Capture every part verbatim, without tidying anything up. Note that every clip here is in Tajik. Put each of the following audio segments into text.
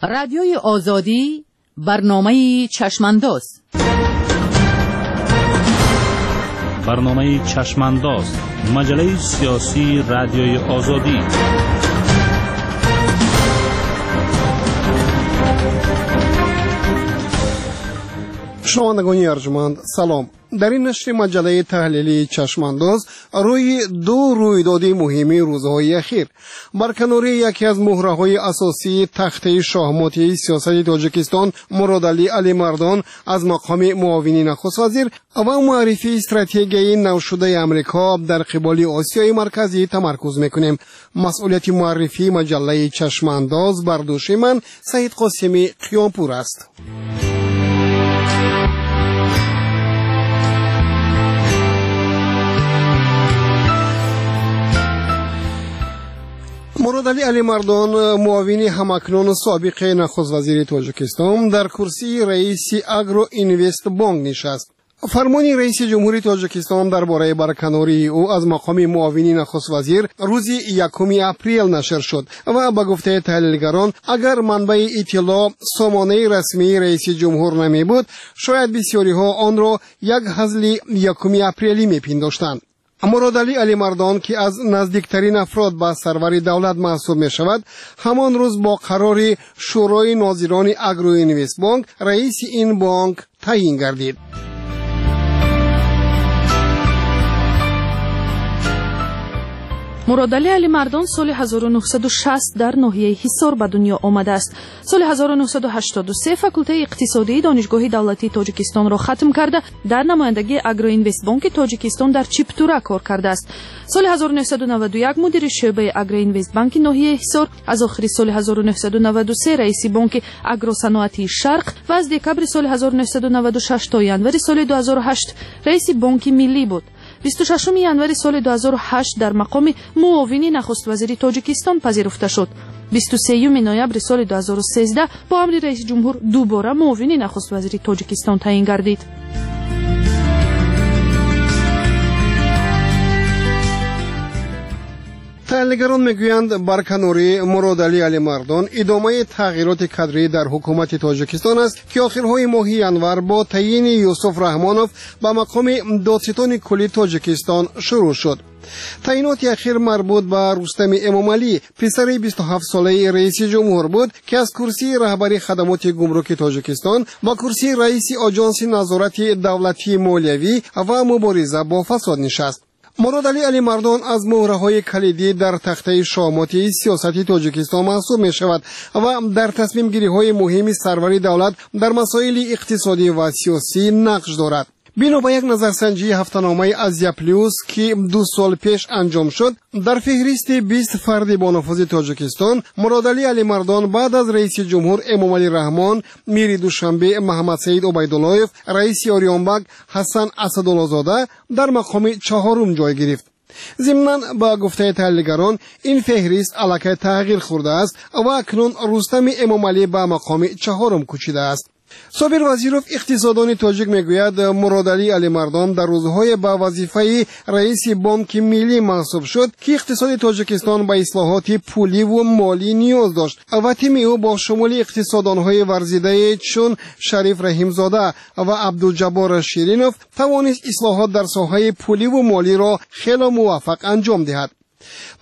Радиои Озодӣ, барномаи Чашмандоз. Барномаи Чашмандоз, маҷаллаи сиёсии Радиои Озодӣ. Шунавандагони арҷманд, салом. Дар ин нашри маҷаллаи таҳлилии Чашмандоз рӯи ду рӯйдоди муҳими рӯзҳои ахир барканории яке аз муҳраҳои асосии тахтаи шоҳмоти сиёсати Тоҷикистон Муродалӣ Алимардон аз мақоми муовини нахуствазир ва муаррифии стратегияи навшудаи Амрико дар қиболи Осиёи Марказӣ тамаркуз мекунем. Масъулияти муаррифии маҷаллаи Чашмандоз бар дӯши ман Саид Қосими Қиёмпур аст. Муродалӣ Алимардон, муовини ҳамакнун собиқи нахуствазири Тоҷикистон, дар курсии раиси Агроинвестбонк нишаст. Фармони раиси ҷумҳури Тоҷикистон дар бораи барканории ӯ аз мақоми муовини нахуствазир рӯзи якуми апрел нашр шуд ва ба гуфтаи таҳлилгарон, агар манбаи иттилоъ сомонаи расмии раиси ҷумҳур намебуд, шояд бисёриҳо онро як ҳазли якуми апрелӣ мепиндоштанд. Муродалӣ Алимардон, ки аз наздиктарин афрод ба сарвари давлат маҳсуб мешавад, ҳамон рӯз бо қарори Шӯрои нозирони Агроинвестбонк раиси ин бонк таъйин гардид. Муродалӣ Алимардон соли ҳазору нӯҳсаду шаст дар ноҳияи Ҳисор ба дунё омадааст. Соли ҳазору нӯҳсаду ҳаштоду се факултаи иқтисодии Донишгоҳи давлатии Тоҷикистонро хатм карда, дар намояндагии Агроинвестбонки Тоҷикистон дар Чиптура кор кардааст. Соли ҳазору нӯҳсаду наваду як мудири шӯъбаи Агроинвестбанки ноҳияи Ҳисор, аз охири соли ҳазору нӯҳсаду наваду се раиси бонки Агросаноатии Шарқ ва аз декабри соли ҳазору нӯҳсаду наваду шаш то январи соли ду ҳазору ҳашт раиси бонки миллӣ буд. бисту шашуми январи соли ду ҳазору ҳашт дар мақоми муовини нахуствазири Тоҷикистон пазируфта шуд. бисту сеюми ноябри соли ду ҳазору сездаҳ бо амри раиси ҷумҳур дубора муовини нахуствазири Тоҷикистон таъйин гардид. Таҳлилгарон мегӯянд, барканории Муродалӣ Алимардон идомаи тағйироти кадрӣ дар ҳукумати Тоҷикистон аст, ки охирҳои моҳи январ бо таъйини Юсуф Раҳмонов ба мақоми додситони кулли Тоҷикистон шурӯъ шуд. Таъйиноти ахир марбут ба Рустами Эмомалӣ, писари бисту ҳафтсолаи раиси ҷумҳур буд, ки аз курсии раҳбари хадамоти гумруки Тоҷикистон ба курсии раиси Оҷонси назорати давлатии молиявӣ ва мубориза бо фасод нишаст. Муродалӣ Алимардон аз муҳраҳои калидӣ дар тахтаи шоҳмоти сиёсати Тоҷикистон маҳсуб мешавад ва дар тасмимгириҳои муҳими сарвари давлат дар масоили иқтисодӣ ва сиёсӣ нақш дорад. Бино ба як назарсанҷии ҳафтаномаи Азия Плюс, ки ду сол пеш анҷом шуд, дар феҳристи бист фарди бонуфузи Тоҷикистон Муродалӣ Алимардон баъд аз раиси ҷумҳур Эмомалӣ Раҳмон, мири Душанбе Маҳаммадсаид Убайдуллоев, раиси Ориёнбак Ҳасан Асадуллозода дар мақоми чаҳорум ҷой гирифт. Зимнан ба гуфтаи таҳлилгарон, ин феҳрист аллакай тағйир хӯрдааст ва акнун Рустами Эмомалӣ ба мақоми чаҳорум кӯчидааст. Собир Вазиров, иқтисодони тоҷик, мегӯяд, Муродалӣ Алимардон дар рӯзҳое ба вазифаи раиси бонки миллӣ мансуб шуд, ки иқтисоди Тоҷикистон ба ислоҳоти пуливу молӣ ниёз дошт ва тими ӯ бо шумули иқтисодонҳои варзидае чун Шариф Раҳимзода ва Абдуҷаббор Ширинов тавонист ислоҳот дар соҳаи пуливу молиро хело муваффақ анҷом диҳад.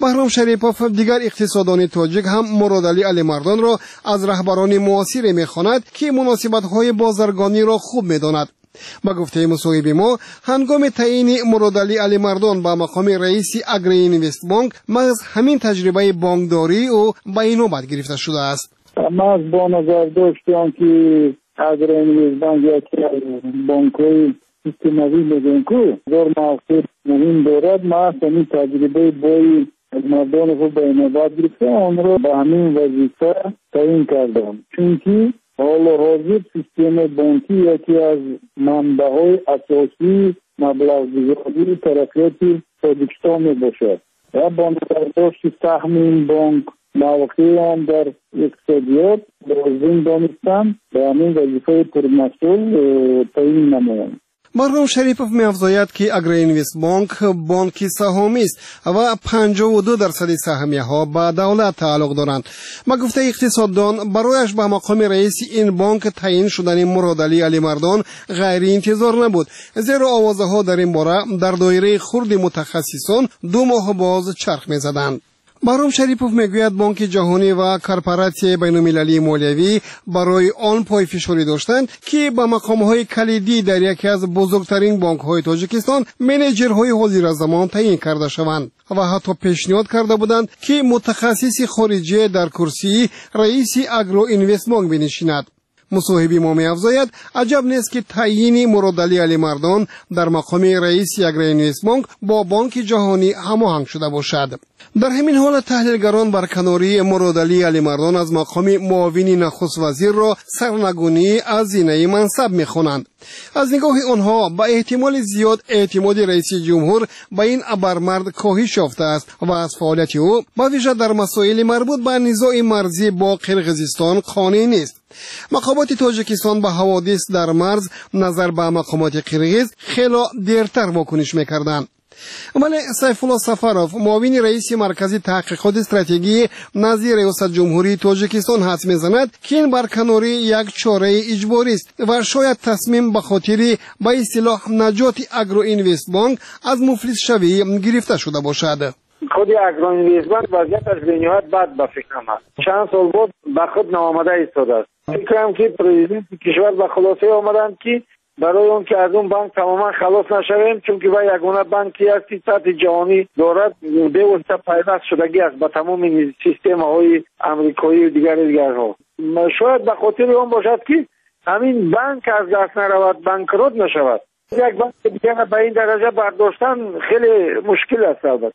Баҳром Шарипов, дигар иқтисодони тоҷик, ҳам Муродалӣ Алимардонро аз раҳбарони муосире мехонад, ки муносибатҳои бозаргониро хуб медонад. Ба гуфтаи мусоҳиби мо, ҳангоми таъйини Муродалӣ Алимардон ба мақоми раиси Агроинвестбонк маҳз ҳамин таҷрибаи бонкдории ӯ ба инобат гирифта шудааст. Маҳз бо назардошти он ки Агроинвестбонк яке аз бонкҳои системавӣ мегӯем, ку бор мавқеи муҳим дорад, маҳз ҳамин таҷрибаи бои Мардоновро ба инобат гирифта, онро ба ҳамин вазифа таъйин кардам, чунки ҳоло ҳозир системаи бонкӣ яке аз манбаъҳои асосии маблағгузории тараққиёти Тоҷикистон мебошад ва бо назардошти саҳми ин бонк, мавқеи он дар иқтисодиёт лозим донистам ба ҳамин вазифаи пурмасъул таъйин намоям. Баҳром Шарипов меафзояд, ки Агроинвестбонк бонки саҳомист ва панҷоҳу ду дарсади саҳмияҳо ба давлат тааллуқ доранд. Ба гуфтаи иқтисоддон, барояш ба мақоми раиси ин бонк таъин шудани Муродалӣ Алимардон ғайриинтизор набуд, зеро овозаҳо дар ин бора дар доираи хурди мутахассисон ду моҳ боз чарх мезаданд. Баҳром Шарипов мегӯяд, Бонки Ҷаҳонӣ ва Корпоратсияи байналмилалии молиявӣ барои он пойфишорӣ доштанд, ки ба мақомҳои калидӣ дар яке аз бузургтарин бонкҳои Тоҷикистон менеҷерҳои ҳозиразамон таъин карда шаванд ва ҳатто пешниҳод карда буданд, ки мутахассиси хориҷие дар курсии раиси Агроинвестбонк бинишинад. Мусоҳиби мо меафзояд, аҷаб нест, ки таъйини Муродалӣ Алимардон дар мақоми раиси Агроинвестбонк бо Бонки Ҷаҳонӣ ҳамоҳанг шуда бошад. Дар ҳамин ҳолат таҳлилгарон барканории Муродалӣ Алимардон аз мақоми муовини нахуствазирро сарнагунӣ аз зинаи мансаб мехонанд. Аз нигоҳи онҳо ба эҳтимоли зиёд эътимоди раиси ҷумҳур ба ин абармард коҳиш ёфтааст ва аз фаъолияти ӯ ба вижа дар масоили марбут ба низои марзӣ бо Қирғизистон қонеъ нест. Мақомоти Тоҷикистон ба ҳаводис дар марз назар ба мақомоти қирғиз хело дертар вокуниш мекарданд. Вале Сайфулло Сафаров, муовини раиси Маркази таҳқиқоти стратегии назди Риёсат Ҷумҳурии Тоҷикистон, ҳадс мезанад, ки ин барканорӣ як чораи иҷборист ва шояд тасмим ба хотири ба истилоҳ наҷоти Агроинвестбонк аз муфлисшавӣ гирифта шуда бошад. Худи Агроинвестбонк вазъияташ бениҳоят бад ба фикрам аст. Чанд сол буд ба худ наомада истодааст. Фикрам, ки президенти кишвар ба хулосае омаданд, ки барои он ки аз он банк тамоман халос нашавем, чунки вай ягона банке аст, ки сатҳи ҷаҳонӣ дорад, бевосита пайваст шудагӣ аст ба тамоми системаҳои амрикоию дигару дигарҳо. Шояд ба хотири он бошад, ки ҳамин банк аз даст наравад, банкрот нашавад. Як банки дигара ба ин дараҷа бардоштан хеле мушкил аст. Албатта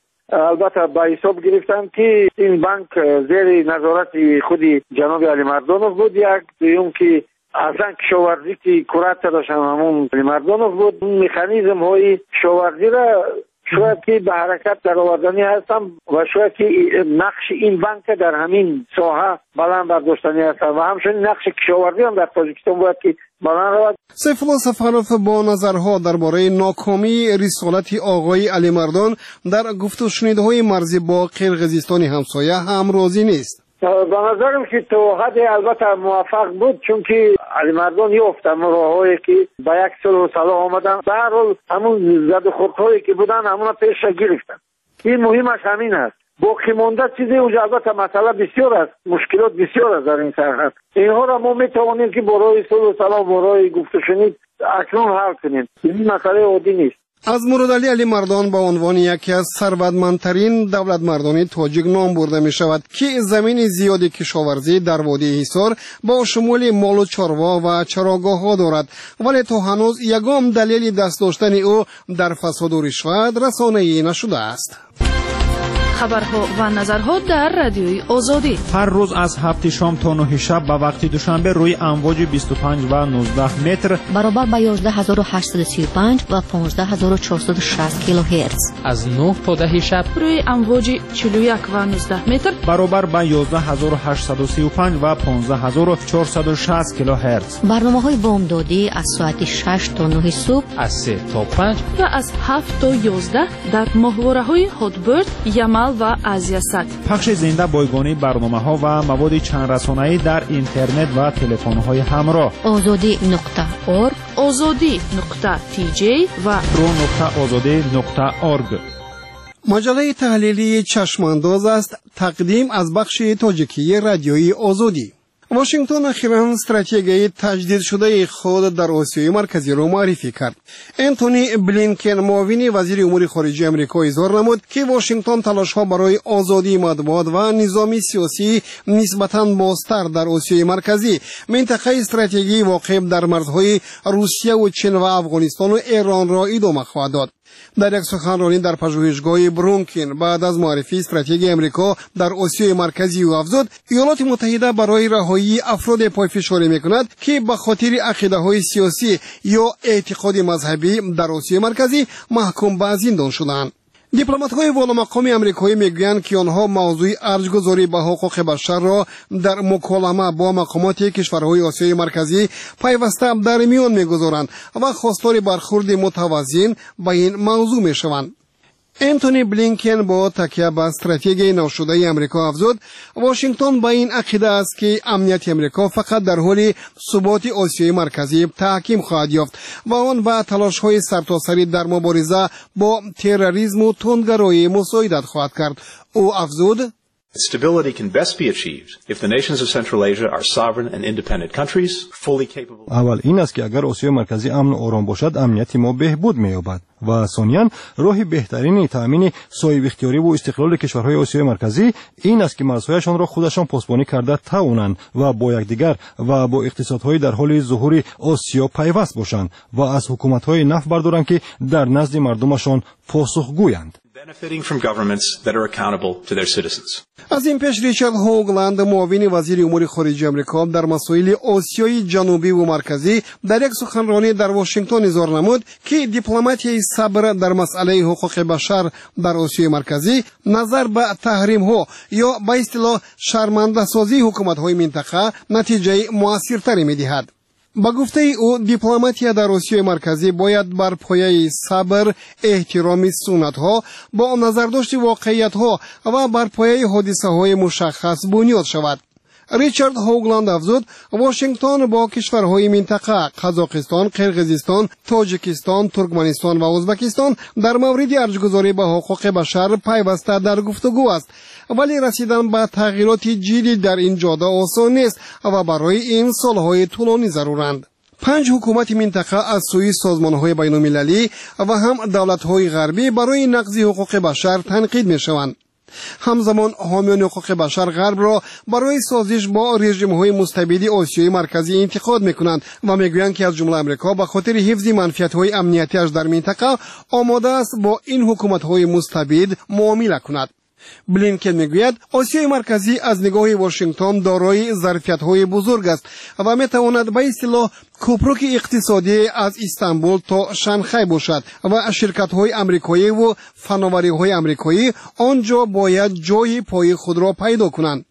албатта ба ҳисоб гирифтанд, ки ин банк зери назорати худи ҷаноби Алимардонов буд, як дуюм, ки аслан кишоварзӣ, ки куратораш ҳам ҳамун Алимардонов буд, механизмҳои кишоварзиро шояд ки ба ҳаракат дароварданӣ ҳастам ва шояд ки нақши ин банка дар ҳамин соҳа баланд бардоштанӣ ҳастам ва ҳамчунин нақши кишоварзӣ ҳам дар Тоҷикистон бояд ки баланд равад. Сайфулло Сафаров бо назарҳо дар бораи нокомии рисолати оғои Алимардон дар гуфтушунидҳои марзӣ бо Қирғизистони ҳамсоя ҳам розӣ нест. Ба назарам, ки то ҳадде албатта муваффақ буд, чунки Алимардон ёфт ҳамон роҳҳое, ки ба як сулҳу салоҳ омаданд. Ба ҳар ҳол ҳамун задухӯрдҳое, ки буданд, ҳамуна пеша гирифтанд. Ин муҳимаш ҳамин аст. Боқӣ монда чизе унҷа албатта масъала бисёр аст, мушкилот бисёр аст дар ин сарҳад. Инҳоро мо метавонем, ки бо роҳи сулҳу салоҳ, бо роҳи гуфтушунид акнун ҳал кунем. Ин масъалаи оддӣ нест. Аз Муродалӣ Алимардон ба унвони яке аз сарватмандтарин давлатмардони тоҷик ном бурда мешавад, ки замини зиёди кишоварзӣ дар водии Ҳисор бо шумули молу чорво ва чарогоҳҳо дорад, вале то ҳанӯз ягон далели даст доштани ӯ дар фасоду ришват расонаӣ нашудааст. Хабарҳо ва назарҳо дар Радиои Озодӣ. Ҳар рӯз аз ҳафти шом то нӯҳи шаб ба вақти Душанбе рӯи амвоҷи бисту панҷ ва нуздаҳ метр баробар ба ёздаҳ ҳазору ҳаштсаду сию панҷ ва понздаҳ ҳазору чорсаду шаст килогерц, аз нӯҳ то даҳи шаб рӯи амвоҷи чилу як ва нуздаҳ метр баробар ба ёздаҳ ҳазору ҳаштсаду сию панҷ ва понздаҳ ҳазору чорсаду шаст килогерц. Барномаҳои бомдодӣ аз соати шаш то нӯҳи субҳ, аз се то панҷ ва аз ҳафт то ёздаҳ дар моҳвораҳои Ҳотберд, Ямал ва Азиясат. Пахши зинда бойгонии барномаҳо ва маводи чандрасонаӣ дар интернет ва телефонҳои ҳамроҳ. Озодӣ нуқта орг, Озодӣ нуқта тж ва ру нуқта озодӣ нуқта орг. Маҷаллаи таҳлилии Чашмандоз аст, тақдим аз бахши тоҷикии Радиои Озодӣ. Вашингтон ахиран стратегияи таҷдидшудаи худ дар Осиёи Марказиро муаррифӣ кард. Энтони Блинкен, муовини вазири умури хориҷии Амрико, изҳор намуд, ки Вашингтон талошҳо барои озодии матбуот ва низоми сиёсии нисбатан бозтар дар Осиёи Марказӣ, минтақаи стратегии воқеъ дар марзҳои Русияву Чин ва Афғонистону Эронро идома хоҳад дод. Дар як суханронӣ дар пажӯҳишгоҳи Брункин баъд аз муаррифии стратегияи Амрико дар Осиёи Марказӣ ӯ афзуд, Иёлоти Муттаҳида барои раҳоии афроде пойфишорӣ мекунад, ки ба хотири ақидаҳои сиёсӣ ё эътиқоди мазҳабӣ дар Осиёи Марказӣ маҳкум ба зиндон шуданд. Дипломатҳои воломақоми амрикоӣ мегӯянд, ки онҳо мавзӯи арҷгузорӣ ба ҳуқуқи башарро дар муколама бо мақомоти кишварҳои Осиёи Марказӣ пайваста дар миён мегузоранд ва хостори бархурди мутавазин ба ин мавзӯъ мешаванд. Энтони Блинкен бо такя ба стратегияи навшудаи Амрико афзуд, Вашингтон ба ин ақида аст, ки амнияти Амрико фақат дар ҳоли суботи Осиёи Марказӣ таҳким хоҳад ёфт ва он ба талошҳои сартосарӣ дар мубориза бо терроризму тундгароӣ мусоидат хоҳад кард. Ӯ афзуд: Stability can best be achieved if the nations of Central Asia are sovereign and independent countries, fully capable. Аввал ин аст, ки агар Осиёи Марказӣ амну ором бошад, амнияти мо беҳбуд меёбад. Ва сониян, роҳи беҳтарини таъмини соҳибихтиёриву истиқлоли кишварҳои Осиёи Марказӣ ин аст, ки марзҳояшонро худашон посбонӣ карда тавонанд ва бо якдигар ва бо иқтисодҳои дар ҳоли зуҳури Осиё пайваст бошанд ва аз ҳукуматҳои нафъ бардоранд, ки дар назди мардумашон посухгӯянд. Benefiting from governments that are accountable to their citizens. Аз ин пеш Ричард Ҳогланд, муовини вазири умури хориҷи Амрико дар масоили Осиёи Ҷанубиву Марказӣ, дар як суханронӣ дар Вашингтон изҳор намуд, ки дипломатияи сабр дар масъалаи ҳуқуқи башар дар Осиёи Марказӣ назар ба таҳримҳо ё ба истилоҳ шармандасозии ҳукуматҳои минтақа натиҷаи муассиртаре медиҳад. Ба гуфтаи ӯ, дипломатия дар Осиёи Марказӣ бояд бар пояи сабр, эҳтироми суннатҳо, бо назардошти воқеиятҳо ва бар пояи ҳодисаҳои мушаххас бунёд шавад. Ричард Ҳогланд афзуд, Вашингтон бо кишварҳои минтақа Қазоқистон, Қирғизистон, Тоҷикистон, Туркманистон ва Ӯзбекистон дар мавриди арҷгузорӣ ба ҳуқуқи башар пайваста дар гуфтугӯ аст, вале расидан ба тағйироти ҷиддӣ дар ин ҷода осон нест ва барои ин солҳои тӯлонӣ заруранд. Панҷ ҳукумати минтақа аз сӯи созмонҳои байналмилалӣ ва ҳам давлатҳои ғарбӣ барои нақзи ҳуқуқи башар танқид мешаванд. Ҳамзамон ҳомиёни ҳуқуқи башар ғарбро барои созиш бо режимҳои мустабиди Осиёи Марказӣ интиқод мекунанд ва мегӯянд, ки аз ҷумла Амрико ба хотири ҳифзи манфиатҳои амниятиаш дар минтақа омода аст бо ин ҳукуматҳои мустабид муомила кунад. Блинкен мегӯяд, Осиёи Марказӣ аз нигоҳи Вашингтон дорои зарфиятҳои бузург аст ва метавонад ба истилоҳ кӯпруки иқтисодӣ аз Истанбул то Шанхай бошад ва ширкатҳои амрикоиву фановариҳои амрикоӣ он ҷо бояд ҷои пои худро пайдо кунанд.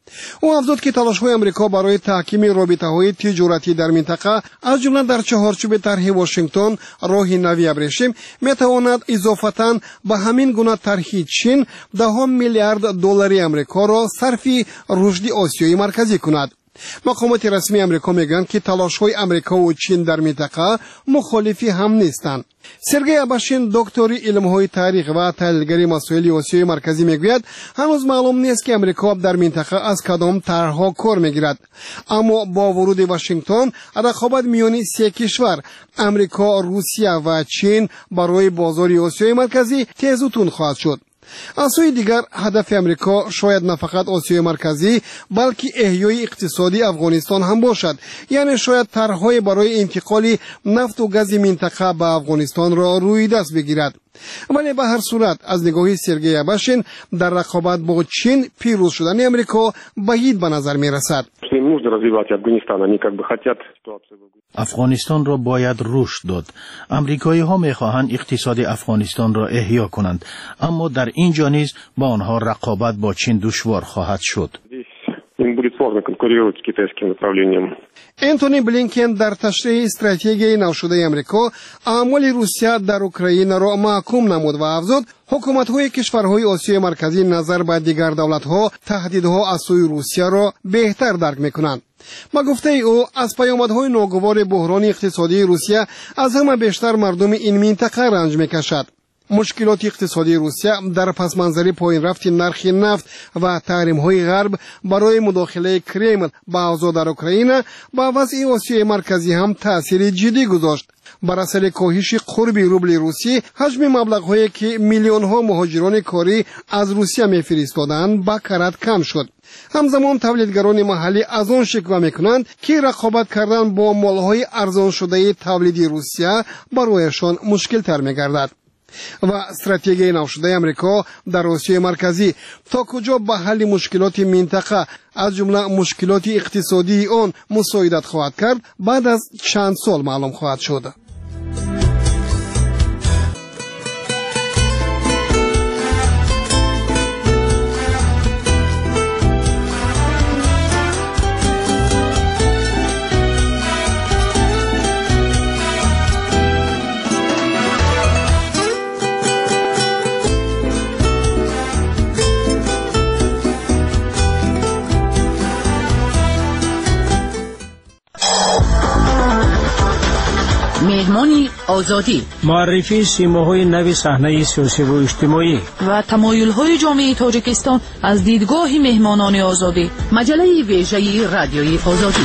Ӯ афзуд, ки талошҳои Амрико барои таҳкими робитаҳои тиҷоратӣ дар минтақа, аз ҷумла дар чаҳорчӯби тарҳи Вашингтон роҳи нави абрешим, метавонад изофатан ба ҳамин гуна тарҳи Чин даҳо миллиард доллари Амрикоро сарфи рушди Осиёи Марказӣ кунад. Мақомоти расмии Амрико мегӯянд, ки талошҳои Амрикову Чин дар минтақа мухолифи ҳам нестанд. Сергей Абашин, доктори илмҳои таърих ва таҳлилгари масоили Осиёи Марказӣ, мегӯяд, ҳанӯз маълум нест, ки Амрико дар минтақа аз кадом тарҳҳо кор мегирад, аммо бо вуруди Вашингтон рақобат миёни се кишвар Амрико, Русия ва Чин барои бозори Осиёи Марказӣ тезу тунд хоҳад шуд. Аз сӯи дигар, ҳадафи Амрико шояд на фақат Осиёи Марказӣ, балки эҳёи иқтисодии Афғонистон ҳам бошад, яъне шояд тарҳҳое барои интиқоли нафту гази минтақа ба Афғонистонро рӯи даст бигирад. Вале ба ҳар сурат, аз нигоҳи Сергей Абашин, дар рақобат бо Чин пирӯз шудани Амрико баъид ба назар мерасад. Афғонистонро бояд рушд дод. Амрикоиҳо мехоҳанд иқтисоди Афғонистонро эҳё кунанд, аммо дар ин ҷо низ ба онҳо рақобат бо Чин душвор хоҳад шуд. Им будет сложно конкурировать с китайским направлением. Энтони Блинкен дар ташриҳи стратегияи навшудаи Амрико аъмоли Русия дар Украинаро маҳкум намуд ва афзуд, ҳукуматҳои кишварҳои Осиёи Марказӣ назар ба дигар давлатҳо таҳдидҳо аз сӯи Русияро беҳтар дарк мекунанд. Ба гуфтаи ӯ, аз паёмадҳои ногувори буҳрони иқтисодии Русия аз ҳама бештар мардуми ин минтақа ранҷ мекашад. Мушкилоти иқтисодии Русия дар пасманзари поинрафти нархи нафт ва таҳримҳои ғарб барои мудохилаи Кремл ба авзоъ дар Украина ба вазъи Осиёи Марказӣ ҳам таъсири ҷиддӣ гузошт. Бар асари коҳиши қурби рубли русӣ, ҳаҷми маблағҳое ки миллионҳо муҳоҷирони корӣ аз Русия мефиристоданд, ба карат кам шуд. Ҳамзамон тавлидгарони маҳаллӣ аз он шиква мекунанд, ки рақобат кардан бо молҳои арзоншудаи тавлиди Русия барояшон мушкилтар мегардад. Ва стратегияи навшудаи Амрико дар Осиёи Марказӣ то куҷо ба ҳалли мушкилоти минтақа, аз ҷумла мушкилоти иқтисодии он, мусоидат хоҳад кард, баъд аз чанд сол маълум хоҳад шуд. Меҳмони озодӣ, муаррифии симоҳои нави саҳнаи сиёсиву иҷтимоӣ ва тамоюлҳои ҷомеаи Тоҷикистон аз дидгоҳи меҳмонони озодӣ. Маҷаллаи вежаи радиои озодӣ.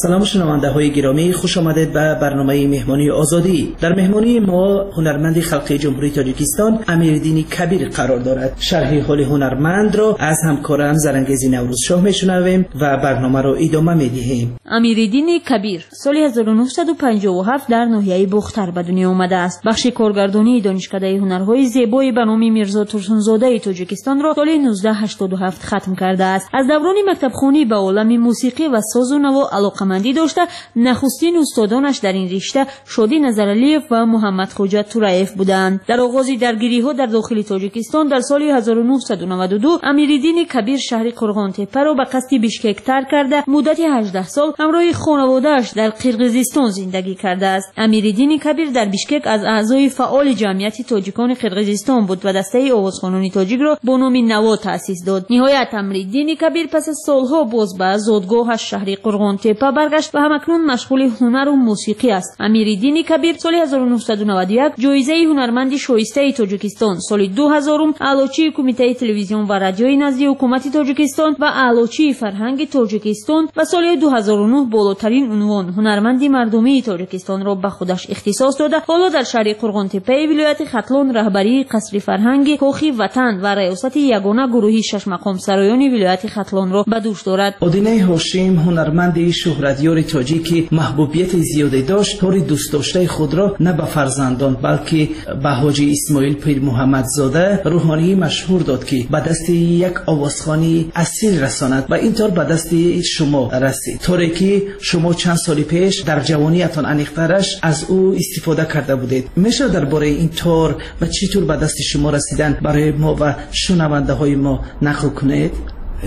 Салом шунавандаҳои гиромӣ, хуш омадед ба барномаи меҳмонии озодӣ. Дар меҳмонии мо ҳунарманди халқии Ҷумҳурии Тоҷикистон Амириддини Кабир қарор дорад. Шарҳи ҳоли ҳунармандро аз ҳамкорам Зарангези Наврӯзшоҳ мешунавем ва барномаро идома медиҳем. Амириддини Кабир соли ҳазору нӯҳсаду панҷоҳу ҳафт дар ноҳияи Бохтар ба дунё омадааст. Бахши коргардонии Донишкадаи ҳунарҳои зебои ба номи Мирзо Турсунзодаи Тоҷикистонро соли нуздаҳ ҳаштоду ҳафт хатм кардааст. Аз даврони мактабхонӣ ба олами мусиқӣ ва созу наво алоқамандӣ дошта, нахустин устодонаш дар ин ришта Шодӣ Назаралиев ва Муҳаммадхоҷа Тураев буданд. Дар оғози даргириҳо дар дохили Тоҷикистон дар соли ҳазору нӯҳсаду наваду ду Амириддини Кабир шаҳри Қурғонтеппаро ба қасди Бишкек тарк карда, муддати ҳаждаҳ сол ҳамроҳи хонаводааш дар Қирғизистон зиндагӣ кардааст. Амириддини Кабир дар Бишкек аз аъзои фаъоли ҷамъияти тоҷикони Қирғизистон буд ва дастаи овозхонони тоҷикро бо номи Наво таъсис дод. Ниҳоят Амириддини Кабир пас аз солҳо боз ба зодгоҳаш шаҳри Қурғонтеппа баргашт ва ҳамакнун машғули ҳунару мусиқӣ аст. Амириддини Кабир соли ҳазору нӯҳсаду наваду як ҷоизаи ҳунарманди шоистаи Тоҷикистон, соли ду ҳазорум аълочии Кумитаи телевизион ва радиои назди ҳукумати Тоҷикистон ва аълочии фарҳанги Тоҷикистон ва соли ду ҳазору нӯҳ болотарин унвон ҳунарманди мардумии Тоҷикистонро ба худаш ихтисос дода, ҳоло дар шаҳри Қурғонтеппаи вилояти Хатлон раҳбарии қасри фарҳанги Кохи Ватан ва раёсати ягона гурӯҳи шашмақомсароёни вилояти Хатлонро ба дӯш дорад. Одинаи Ҳошим ҳунарманди шӯҳратёри тоҷик ки маҳбубияти зиёде дошт, тори дӯстдоштаи худро на ба фарзандон, балки ба ҳоҷи Исмоил Пирмуҳаммадзода, рӯҳонии машҳур дод, ки ба дасти як овозхони асил расонад ва ин тор ба дасти шумо расид. Торе ки шумо чанд соли пеш дар ҷавониятон аниқтараш аз ӯ истифода карда будед. Мешавад дар бораи ин тор ва чӣ тур ба дасти шумо расидан барои мо ва шунавандаҳои мо нақл кунед?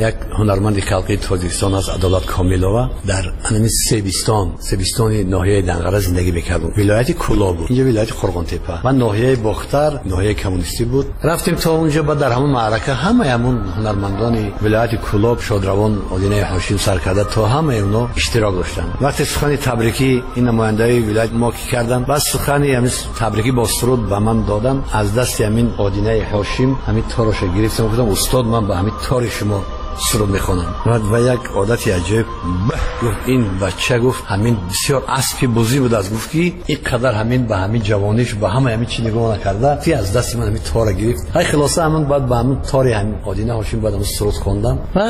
Як ҳунарманди халқии Тоҷикистон аз Адолат Комилова дар ҳамин Себистон, Себистони ноҳияи Данғара зиндагӣ мекард. Вилояти Кӯлоб буд, инҷо вилояти Қурғонтеппа ва ноҳияи Бохтар, ноҳияи коммунистӣ буд. Рафтем то онҷо, баъд дар ҳамон маърака ҳамаи ҳамон ҳунармандони вилояти Кӯлоб, шодравон Одинаи Ҳошим сар карда то ҳамаи онҳо иштирок доштанд. Вақте сухани табрикӣ ин намояндаи вилоят мо ки карданд, баъд сухани ҳамин табрикӣ бо суруд ба ман доданд. Аз дасти ҳамин Одинаи Ҳошим ҳамин торашро гирифтам, гуфтам устод, ман ба ҳамин тори шумо суруд мехонам. Ва як одати аҷиб гуфт ин бача, гуфт ҳамин бисёр аспи бузӣ буд, аз гуфт ки ин қадар ҳамин ба ҳамин ҷавониш ба ҳама ҳамин чӣ нигоҳ накарда, ти аз дасти ман ҳамин тора гирифт. Ҳай хулоса ҳамин баъд ба ҳамин тори ҳамин Одина Ҳошим баъд ҳамин суруд хондам ва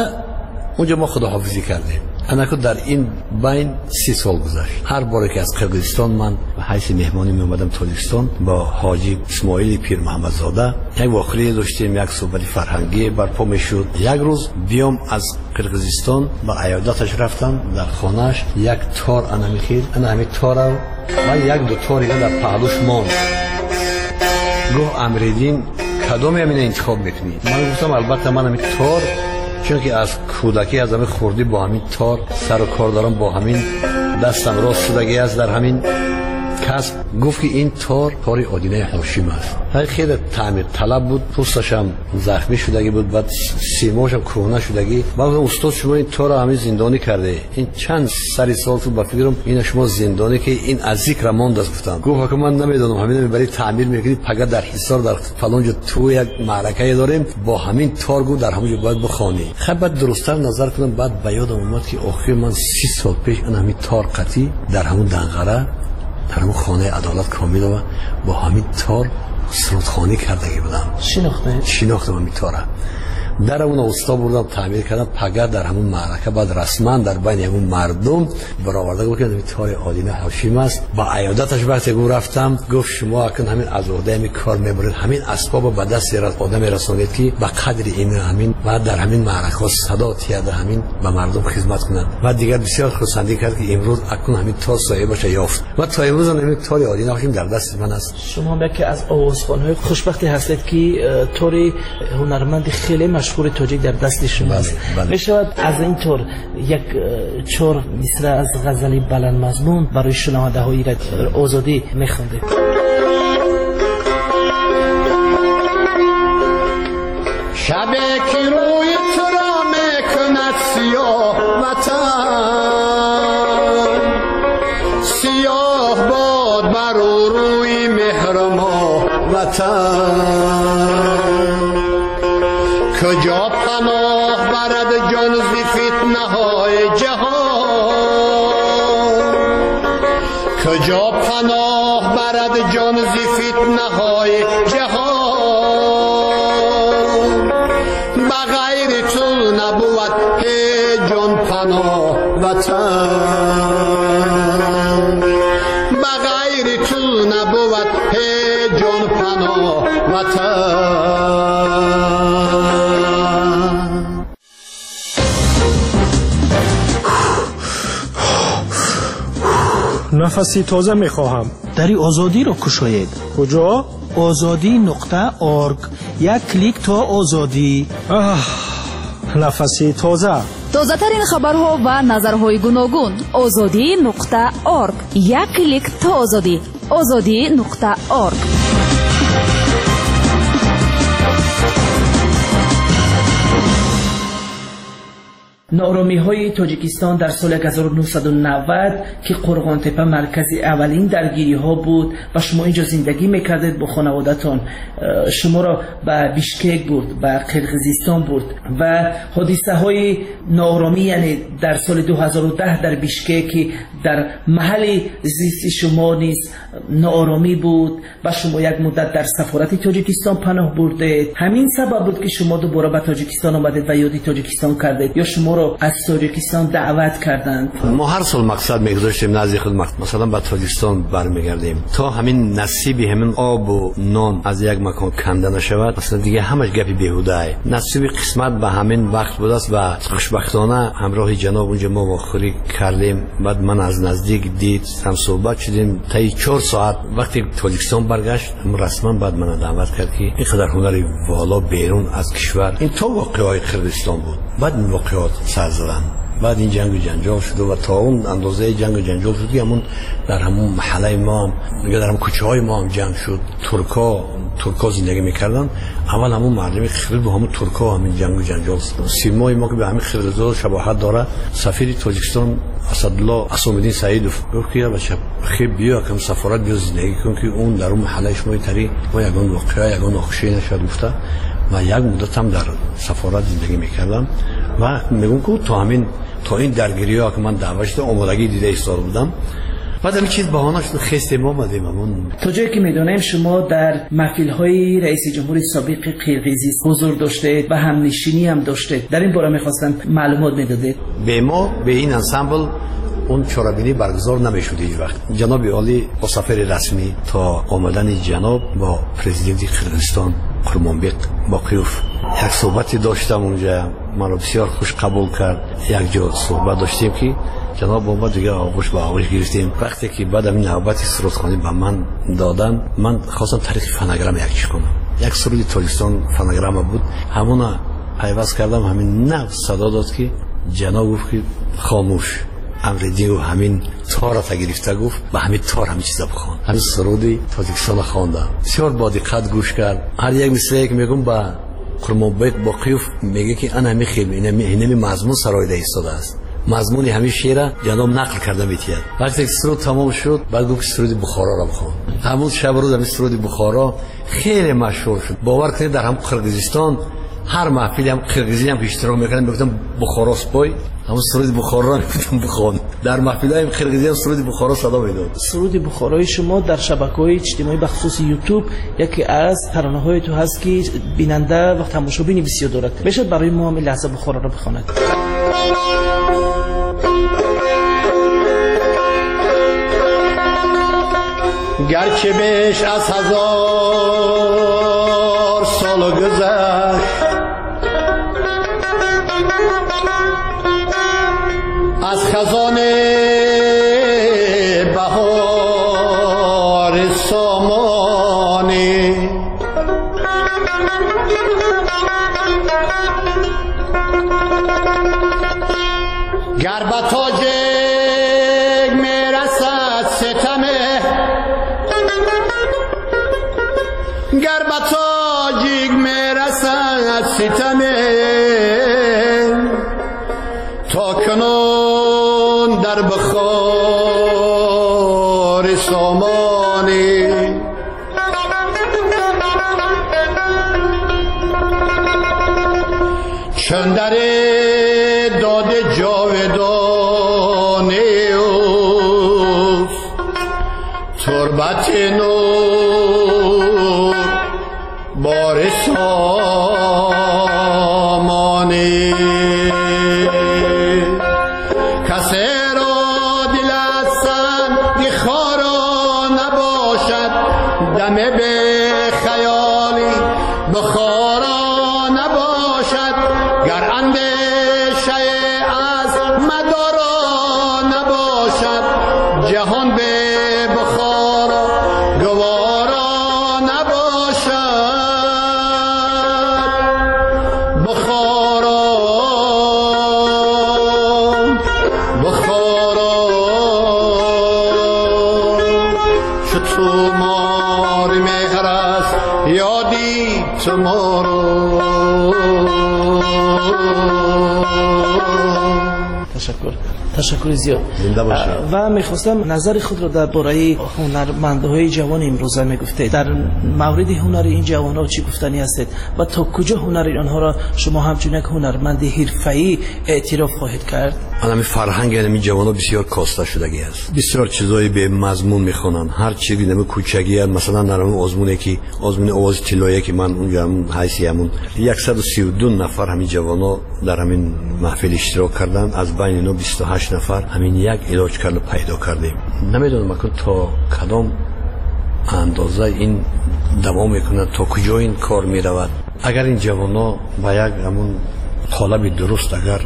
онҷо мо худоҳофизӣ кардем. Анаку дар ин байн си сол гузашт. Ҳар боре ки аз Қирғизистон ман ба ҳайси меҳмонӣ меомадам Тоҷикистон, бо ҳоҷи Исмоили Пирмуҳаммадзода як воқеае доштем, як суҳбати фарҳангӣ барпо мешуд. Як рӯз биём аз Қирғизистон ба аёдаташ рафтам, дар хонааш як тор анамихел, ана ҳамин тора ва як ду тор дига дар паҳлӯш монд. Гуфт Амириддин, кадоме ҳамина интихоб мекунӣ? Ман гуфтам албатта ман ҳамин тор, чунки аз кӯдакӣ аз ҳамин хурдӣ бо ҳамин тор сару кор дорам, бо ҳамин дастам рост шудагӣ аст дар ҳамин касб. Гуфт ки ин тор тори Одинаи Ҳошим аст. Хеле таъмирталаб буд, пӯсташам захмӣ шудагӣ буд, баъд симоашам кӯҳна шудагӣ. Ман гуфтам устод, шумо ин торро ҳамин зиндонӣ карде, ин чанд сари сол шуд, ба фикрам ина шумо зиндонӣ ки ин аз зикра мондааст. Гуфтам. Гуфт ҳака ман намедонам, ҳамин мебарӣ таъмир мекунӣ, пага дар Ҳисор дар фалон ҷо ту як маъракае дорем, бо ҳамин тор гуфт дар ҳамон ҷо бояд бихонӣ. Хай баъд дурусттар назар кунам, баъд ба ёдам омад ки охир ман си сол пеш ин ҳамин тор қатӣ дар ҳамон Данғара, дар ҳамон хонаи Адолат Комилова бо ҳамин тор сурудхонӣ кардагӣ будам. Шинохтед? Шинохтам ҳамин тора. Дар ҳамон усто бурдам, таъмир кардам, пага дар ҳамон маърака баъд расман дар байни ҳамон мардум бароварда гуфт ки ҳамин тори Одина Ҳошим аст. Ба аёдаташ вақте гуфт рафтам, гуфт шумо акнун ҳамин аз уҳдаи ҳамин кор мебаред, ҳамин асбобро ба дасти одаме расонед ки ба қадри ин ҳамин ва дар ҳамин маъракаҳо садо тияда ҳамин ба мардум хизмат кунад. Ва дигар бисёр хурсандӣ кард ки имрӯз акнун ҳамин тор соҳибаша ёфт ва то имрӯз ҳамин тори Одина Ҳошим дар дасти ман аст. Шумо ҳам яке аз овозхонҳои хушбахте ҳастед ки тори ҳунарманди хеле машҳури тоҷик дар дасти шумо аст. Мешавад аз ин тор як чор мисра аз ғазали баландмазмун барои шунавандаҳои озодӣ мехондед? Шабе ки рӯи туро мекунад сиёҳ ватан. وطن. کجا پناه برد جان ز فتنه های جهان، کجا پناه برد جان ز فتنه های جهان. بغیر تو نبود هیچ جان پناه وطن، بغیر تو نبود هیچ جان پناه وطن. нафаси тоза мехоҳам. Дари Озодиро кушоед. Куҷо? Озодӣ нуқта орг. Як клик то озодӣ. Аҳ, нафаси тоза. Тозатарин хабарҳо ва назарҳои гуногун. Озодӣ нуқта орг. Як клик то озодӣ. Озодӣ нуқта орг. Нооромиҳои Тоҷикистон дар соли ҳазору нӯҳсаду навад, ки Қурғонтепа маркази аввалин даргириҳо буд ва шумо инҷо зиндагӣ мекардед бо хонаводатон, шуморо ба Бишкек бурд, ба Қирғизистон бурд ва ҳодисаҳои нооромӣ, яъне дар соли ду ҳазору даҳ дар Бишкек, ки дар маҳалли зисти шумо низ нооромӣ буд ва шумо як муддат дар сафорати Тоҷикистон паноҳ бурдед. Ҳамин сабаб буд ки шумо дубора ба Тоҷикистон омадед ва ёди Тоҷикистон кардед, ё шуморо аз Тоҷикистон даъват карданд? Мо ҳар сол мақсад мегузоштем назди худ, масалан ба Тоҷикистон бармегардем то ҳамин насиби ҳамин обу нон аз як макон канда нашавад. Аслан дига ҳамаш гапи беҳудае. Насиби қисмат ба ҳамин вақт будааст ва хушбахтона ҳамроҳи ҷаноб унҷа мо вохӯрӣ кардем. Баъд ман аз наздик дид, ҳамсӯҳбат шудем. Таи чор соат вақте Тоҷикистон баргашт, расман баъд мана даъват кард ки ин қадар ҳунари воло берун аз кишвар, ин то воқеаҳои Қирғизистон буд. Баъд ин воқеаҳо сар заданд. Баъд ин ҷангу ҷанҷол шуд ва то он андозаи ҷангу ҷанҷол шуд ки ҳамун дар ҳамун маҳаллаи мо ҳам, дар ҳамун кӯчаҳои мо ҳам ҷанг шуд. Туркҳо туркҳо зиндагӣ мекарданд. Аввал ҳамун мардуми қирғиз бо ҳамун туркҳо ҳамин ҷангу ҷанҷол. Симои мо ки ба ҳамин қирғизҳо шабоҳат дорад, сафири Тоҷикистон Асадулло Асомиддин Саидов гуфт ки бача хеб биё кам сафорат биё зиндагӣ кун, ки он дар он маҳаллаи шумо тари мо ягон воқеа, ягон нохушӣ нашавад гуфта. Ва як муддат ҳам дар сафорат зиндагӣ мекардам ва мегӯм ки то ҳамин то ин даргириҳо ки ман даъват шуда омодагӣ дида истода будам. Баъд ҳамин чиз баҳона шуд, хестем омадем. Ҳамон то ҷое ки медонем шумо дар маҳфилҳои раиси ҷумҳури собиқи Қирғизӣ ҳузур доштед ва ҳамнишинӣ ҳам доштед. Дар ин бора мехостам маълумот медодед. Бе мо, бе ин ансамбл он чорабинӣ баргузор намешуд ҳеҷ вақт. Ҷаноби олӣ бо сафари расмӣ то омадани ҷаноб бо президенти Қирғизистон Қурмонбек Боқиев як суҳбате доштам унҷа. Маро бисёр хуш қабул кард. Як ҷо суҳбат доштем ки ҷаноб омад, дига оғӯш ба оғӯш гирифтем. Вақте ки баъд ҳамин навбати сурудхонӣ ба ман доданд, ман хостам тариқи фонограмма як чиз хонам. Як суруди Тоҷикистон фонограмма буд, ҳамона пайваст кардам. Ҳамин нав садо дод ки ҷаноб гуфт ки хомӯш. Амриддин гуфт ҳамин тората гирифта, гуфт ба ҳамин тор ҳамин чиза бихон. Ҳамин суруди Тоҷикистонро хондам. Бисёр бо диққат гӯш кард. Ҳар як мисрае ки мегӯм ба Қурмонбек Боқиев мегӯяд ки ана ҳамин хел, инами мазмун сароида истодааст. Мазмуни ҳамин шеъра ҷаноб нақл карда метиҳад. Вақте ки суруд тамом шуд, баъд гуфт ки суруди Бухороро бихон. Ҳамун шабу рӯз ҳамин суруди Бухоро хеле машҳур шуд. Бовар кунед, дар ҳам Қирғизистон ҳар маҳфиле ҳам қирғизӣ ҳам иштирок мекардам, мегуфтам Бухоро спой, ҳамун суруди Бухороро мегуфтам бихон. Дар маҳфилҳои қирғизӣ ҳам суруди Бухоро садо медод. Суруди Бухорои шумо дар шабакаҳои иҷтимоӣ, бахусус Ютуб, яке аз таронаҳои ту ҳаст ки бинанда ва тамошобини бисёр дорад. Мешавад барои мо ҳамин лаҳза Бухороро бихонад? Гарчи беш аз ҳазор сол гузашт, аз хазони баҳори сомонӣ, гар ба тоҷик мерасад ситаме, гар ба тоҷик мерасад ситаме, то кунун дар Бухори сомонӣ. مدارا نباشد، جهان به بخارا گوارا نباشد. بخارا بخارا چو تو مار مهر است یادی تو ما را. تشکر، ташаккури зиёд. Ва мехостам назари худро дар бораи ҳунармандҳои ҷавони имрӯза мегуфтед. Дар мавриди ҳунари ин ҷавонҳо чӣ гуфтанӣ ҳастед ва то куҷо ҳунари онҳоро шумо ҳамчун як ҳунарманди ҳирфаӣ эътироф хоҳед кард? Ҳамин фарҳанги ҳамин ҷавонҳо бисёр коста шудагӣ аст. Бисёр чизҳои бемазмун мехонанд. Ҳар чизи нами кӯчагӣ, масалан дар ҳамон озмуне ки озмуни овози тиллоие ки ман унҷо ҳамон ҳайси ҳамон яксаду сию ду нафар ҳамин ҷавонҳо дар ҳамин маҳфил иштирок карданд. Аз байни инҳо бисту ҳашт нафар ҳамин як илоҷ карда пайдо кардем. Намедонам акун то кадом андоза ин давом мекунад, то куҷо ин кор меравад. Агар ин ҷавонҳо ба як ҳамон қолаби дуруст агар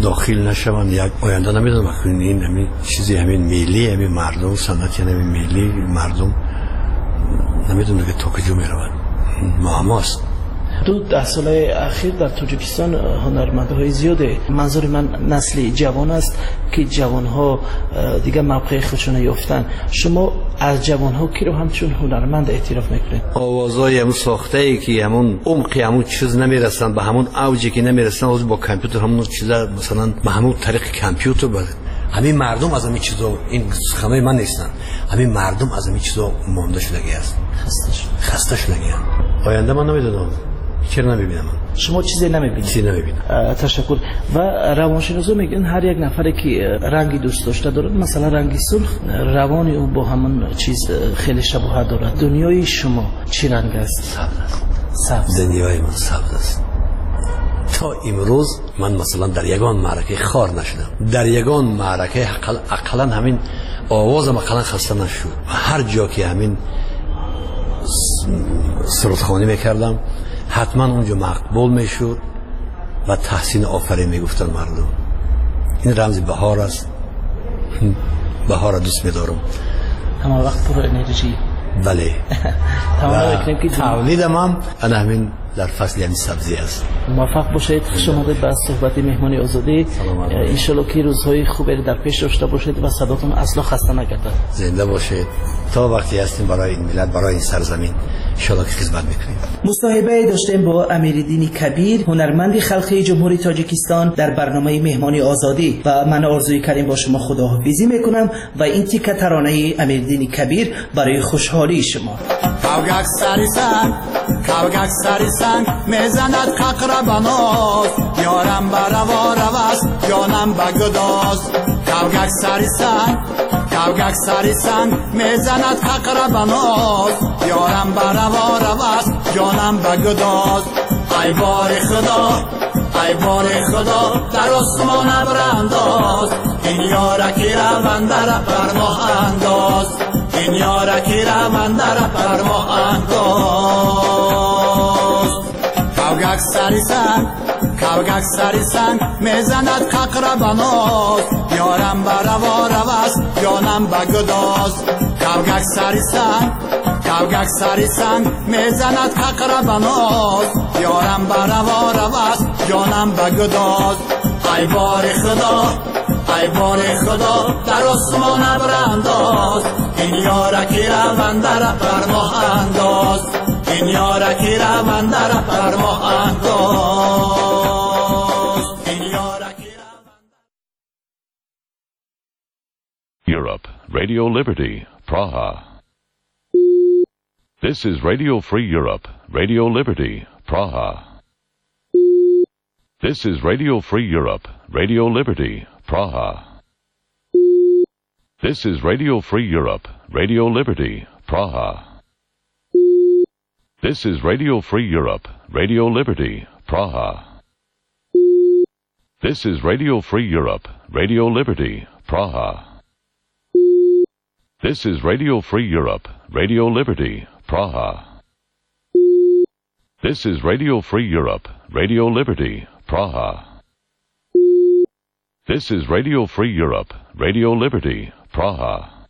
дохил нашаванд, як оянда намедонам акун ин ҳамин чизи ҳамин миллӣ ҳамин мардум, санъати ҳамин миллӣ мардум намедонам ки то куҷо меравад. Муаммост. Ду даҳсолаи ахир дар Тоҷикистон ҳунармандҳои зиёде, манзури ман насли ҷавон аст, ки ҷавонҳо дигар мавқеи худшонро ёфтанд. Шумо аз ҷавонҳо киро ҳамчун ҳунарманд эътироф мекунед? Овозҳои ҳамун сохтае ки ҳамун умқи ҳамун чиз намерасанд, ба ҳамун авҷе ки намерасанд, ҳозир бо компютер ҳамун чиза масалан ба ҳамун тариқи компютер ҳамин мардум аз ҳамин чизо, ин суханои ман нестанд, ҳамин мардум аз ҳамин чизо монда шудагӣ аст, хаста шудагианд. Оянда ман намедонам, чаро намебинам. Шумо чизе намебинед? Чизе намебинам. Ташаккур. Ва равоншиносо мегӯянд ҳар як нафаре ки ранги дӯст дошта дорад, масалан ранги сурх, равони ӯ бо ҳамон чиз хеле шабоҳат дорад. Дунёи шумо чӣ ранг аст? Сабз аст. Сабз. Дунёи ман сабз аст. То имрӯз ман масалан дар ягон маъракаи хор нашудам, дар ягон маъракаи ақаллан ҳамин овозам ақаллан хаста нашуд. Ҳар ҷо ки ҳамин сурудхонӣ мекардам, ҳатман онҷо мақбул мешуд ва таҳсин офарин мегуфтанд мардум. Ин рамзи баҳор аст. Баҳорро дӯст медорам. Ҳама вақт пур энержӣ. Бале. Тавлидам ҳам ана ҳамин дар фасли ҳамин сабзӣ аст. Муваффақ бошед. Хуш омадед ба суҳбати меҳмони озодӣ. Иншоалло ки рӯзҳои хубе дар пеш дошта бошед ва садотон асло хаста нагардад. Зинда бошед. То вақте ҳастем барои ин миллат, барои ин сарзамин иншоалло ки хизмат мекунем. Мусоҳибае доштем бо Амириддини Кабир, ҳунарманди халқии Ҷумҳурии Тоҷикистон дар барномаи меҳмони озодӣ, ва ман Орзуи Карим бо шумо худоҳофизӣ мекунам ва ин тика таронаи Амириддини Кабир барои хушҳолии шумо. Кавгак сари санг, кавгак сари санг мезанад қақра ба ноз, ёрам ба раво раваст, ҷонам ба гудоз. Кавгак сари санг, кавгак сари санг мезанад қақра ба ноз, ёрам ба раво раваст, ҷонам ба гудоз. Ай бори Худо, ай бори Худо, дар осмон абр андоз, ин ёраки равандара бар моҳ андоз, ин ёраки равандара бар моҳ андоз. Кавгак сари санг, кавгак сари санг мезанад қақра ба ноз, ёрам ба раво раваст, ҷонам ба гудоз. Кавгак сари санг, кавгак сари санг мезанад қақра ба ноз, ёрам ба раво раваст, ҷонам ба гудоз. Ай бори Худо, ай бори Худо, дар осмон абр андоз, ин ёраки равандара бар моҳ андоз, ин ёраки равандара бар моҳ андоз, ин ёраки равандара. Europe, Radio Liberty, Praha. This is Radio Free Europe, Radio Liberty, Praha. This is Radio Free Europe, Radio Liberty, Praha. This is Radio Free Europe, Radio Liberty, Praha. This is Radio Free Europe, Radio Liberty, Praha. This is Radio Free Europe, Radio Liberty, Praha. This is Radio Free Europe, Radio Liberty, Praha. This is Radio Free Europe, Radio Liberty, Praha. This is Radio Free Europe, Radio Liberty, Praha.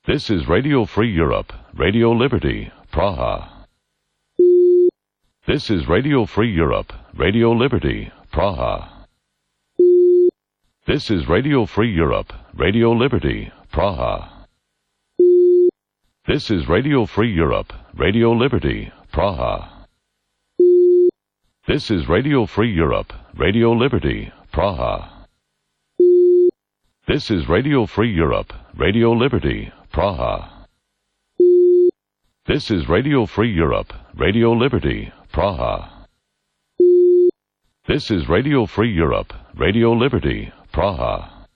This is Radio Free Europe, Radio Liberty, Praha. This is Radio Free Europe, Radio Liberty, Praha. This is Radio Free Europe, Radio Liberty, Praha. This is Radio Free Europe, Radio Liberty, Praha. This is Radio Free Europe, Radio Liberty, Praha. This is Radio Free Europe, Radio Liberty, Praha. This is Radio Free Europe, Radio Liberty, Praha. This is Radio Free Europe, Radio Liberty, Praha.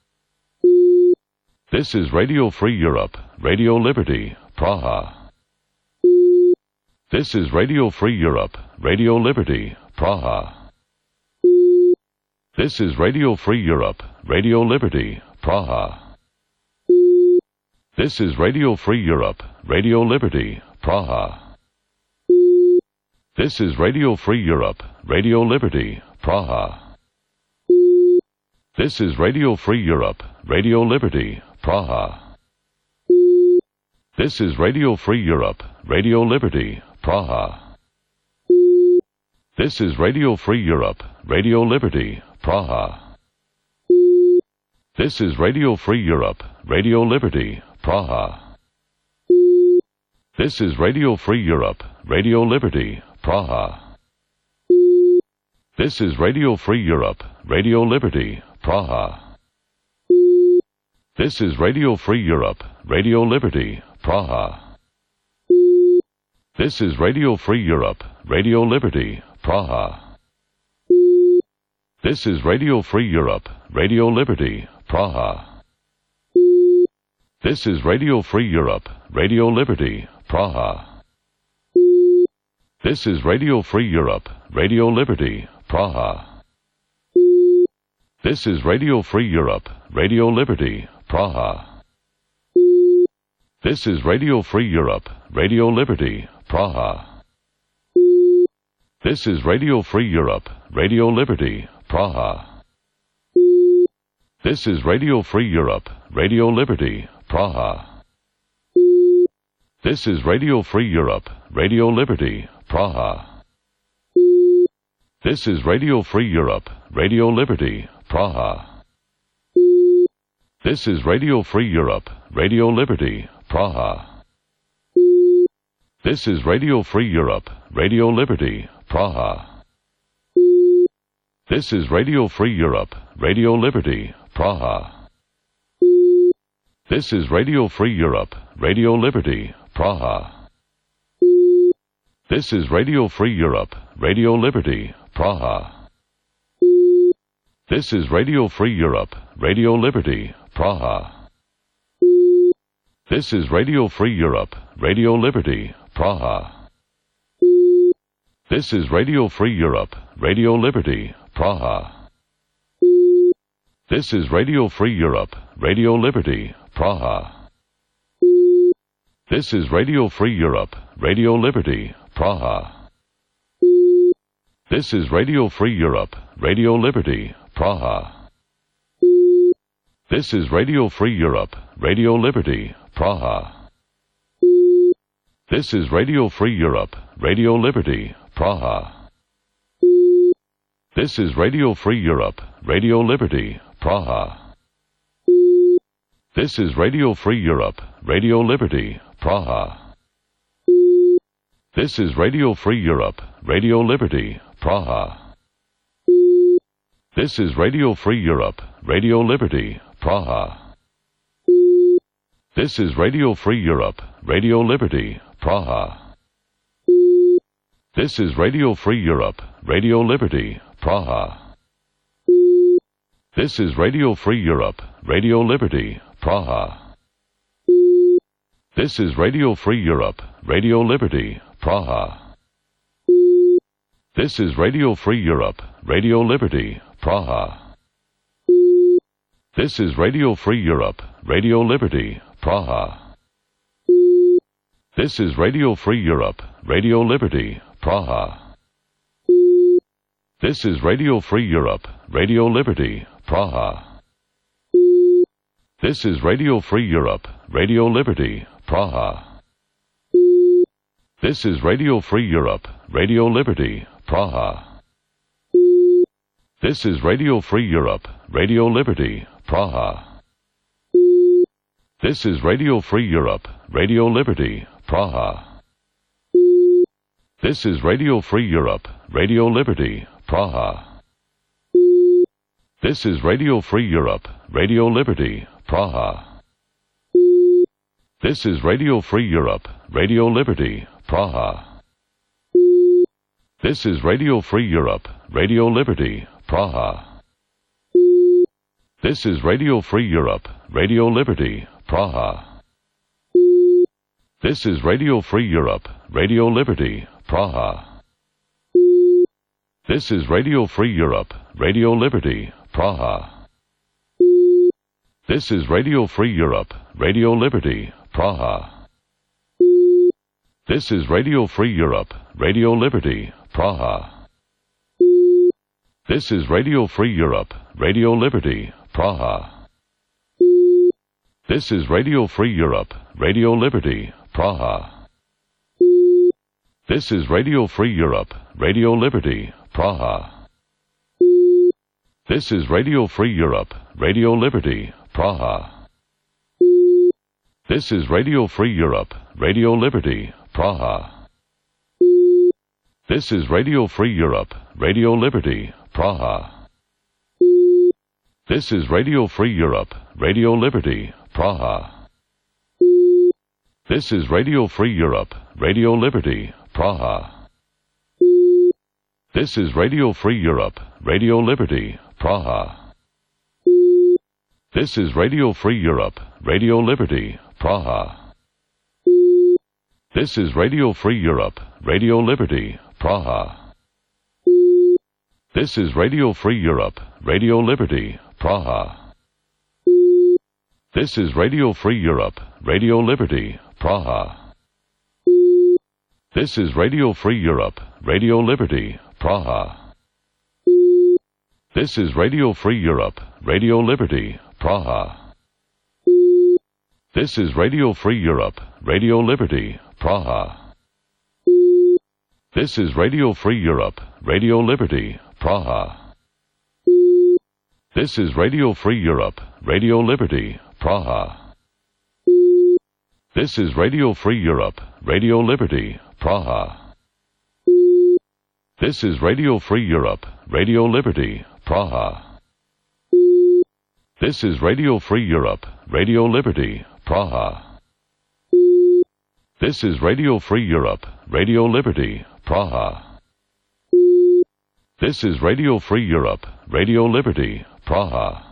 This is Radio Free Europe, Radio Liberty, Praha. This is Radio Free Europe, Radio Liberty, Praha. This is Radio Free Europe, Radio Liberty, Praha. This is Radio Free Europe, Radio Liberty, Praha. This is Radio Free Europe, Radio Liberty, Praha. This is Radio Free Europe, Radio Liberty, Praha. This is Radio Free Europe, Radio Liberty, Praha. This is Radio Free Europe, Radio Liberty, Praha. This is Radio Free Europe, Radio Liberty, Praha. This is Radio Free Europe, Radio Liberty, Praha. This is Radio Free Europe, Radio Liberty, Praha. This is Radio Free Europe, Radio Liberty, Praha. This is Radio Free Europe, Radio Liberty, Praha. This is Radio Free Europe, Radio Liberty, Praha. This is Radio Free Europe, Radio Liberty, Praha. This is Radio Free Europe, Radio Liberty, Praha. This is Radio Free Europe, Radio Liberty, Praha. This is Radio Free Europe, Radio Liberty, Praha. This is Radio Free Europe, Radio Liberty, Praha. This is Radio Free Europe, Radio Liberty, Praha. This is Radio Free Europe, Radio Liberty, Praha. This is Radio Free Europe, Radio Liberty, Praha. This is Radio Free Europe, Radio Liberty, Praha. This is Radio Free Europe, Radio Liberty, Praha. This is Radio Free Europe, Radio Liberty, Praha. This is Radio Free Europe, Radio Liberty, Praha. This is Radio Free Europe, Radio Liberty, Praha. This is Radio Free Europe, Radio Liberty, Praha. This is Radio Free Europe, Radio Liberty, Praha. This is Radio Free Europe, Radio Liberty, Praha. This is Radio Free Europe, Radio Liberty, Praha. This is Radio Free Europe, Radio Liberty, Praha. This is Radio Free Europe, Radio Liberty, Praha. This is Radio Free Europe, Radio Liberty, Praha. This is Radio Free Europe, Radio Liberty, Praha. This is Radio Free Europe, Radio Liberty, Praha. This is Radio Free Europe, Radio Liberty, Praha. This is Radio Free Europe, Radio Liberty, Praha. This is Radio Free Europe, Radio Liberty, Praha. This is Radio Free Europe, Radio Liberty, Praha. This is Radio Free Europe, Radio Liberty, Praha. This is Radio Free Europe, Radio Liberty, Praha. This is Radio Free Europe, Radio Liberty, Praha. This is Radio Free Europe, Radio Liberty, Praha. This is Radio Free Europe, Radio Liberty, Praha. This is Radio Free Europe, Radio Liberty, Praha. This is Radio Free Europe, Radio Liberty, Praha. This is Radio Free Europe, Radio Liberty, Praha. This is Radio Free Europe, Radio Liberty, Praha. This is Radio Free Europe, Radio Liberty, Praha. This is Radio Free Europe, Radio Liberty, Praha. This is Radio Free Europe, Radio Liberty, Praha. This is Radio Free Europe, Radio Liberty, Praha. This is Radio Free Europe, Radio Liberty, Praha. This is Radio Free Europe, Radio Liberty, Praha. This is Radio Free Europe, Radio Liberty, Praha. This is Radio Free Europe, Radio Liberty, Praha. This is Radio Free Europe, Radio Liberty, Praha. This is Radio Free Europe, Radio Liberty, Praha. This is Radio Free Europe, Radio Liberty, Praha. This is Radio Free Europe, Radio Liberty, Praha. This is Radio Free Europe, Radio Liberty, Praha. This is Radio Free Europe, Radio Liberty, Praha. This is Radio Free Europe, Radio Liberty, Praha. This is Radio Free Europe, Radio Liberty, Praha. This is Radio Free Europe, Radio Liberty, Praha. This is Radio Free Europe, Radio Liberty, Praha. This is Radio Free Europe, Radio Liberty, Praha. This is Radio Free Europe, Radio Liberty, Praha. This is Radio Free Europe, Radio Liberty, Praha. This is Radio Free Europe, Radio Liberty, Praha. This is Radio Free Europe, Radio Liberty, Praha. This is Radio Free Europe, Radio Liberty, Praha. This is Radio Free Europe, Radio Liberty, Praha. This is Radio Free Europe, Radio Liberty, Praha. This is Radio Free Europe, Radio Liberty, Praha. This is Radio Free Europe, Radio Liberty, Praha. This is Radio Free Europe, Radio Liberty, Praha. This is Radio Free Europe, Radio Liberty, Praha. This is Radio Free Europe, Radio Liberty, Praha. This is Radio Free Europe, Radio Liberty, Praha. This is Radio Free Europe, Radio Liberty, Praha.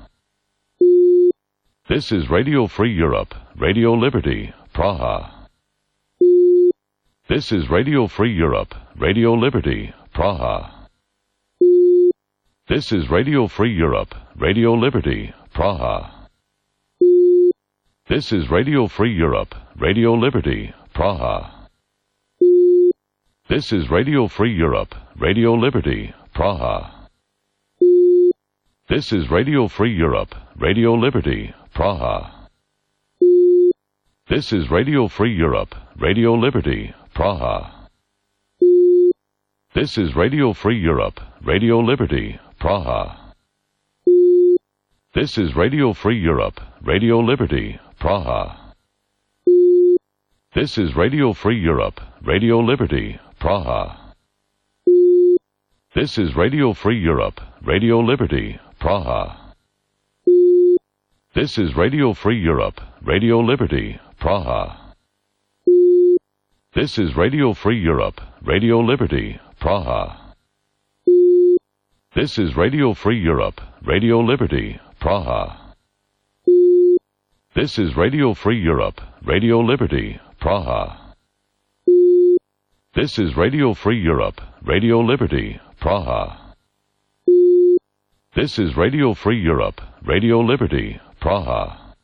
This is Radio Free Europe, Radio Liberty, Praha. This is Radio Free Europe, Radio Liberty, Praha. This is Radio Free Europe, Radio Liberty, Praha. This is Radio Free Europe, Radio Liberty, Praha. This is Radio Free Europe, Radio Liberty, Praha. This is Radio Free Europe, Radio Liberty, Praha. This is Radio Free Europe, Radio Liberty, Praha. This is Radio Free Europe, Radio Liberty, Praha. This is Radio Free Europe, Radio Liberty, Praha. This is Radio Free Europe, Radio Liberty, Praha. This is Radio Free Europe, Radio Liberty, Praha. This is Radio Free Europe, Radio Liberty, Praha. This is Radio Free Europe, Radio Liberty, Praha. This is Radio Free Europe, Radio Liberty, Praha. This is Radio Free Europe, Radio Liberty, Praha. This is Radio Free Europe, Radio Liberty, Praha. This is Radio Free Europe, Radio Liberty, Praha. This is Radio Free Europe, Radio Liberty, Praha.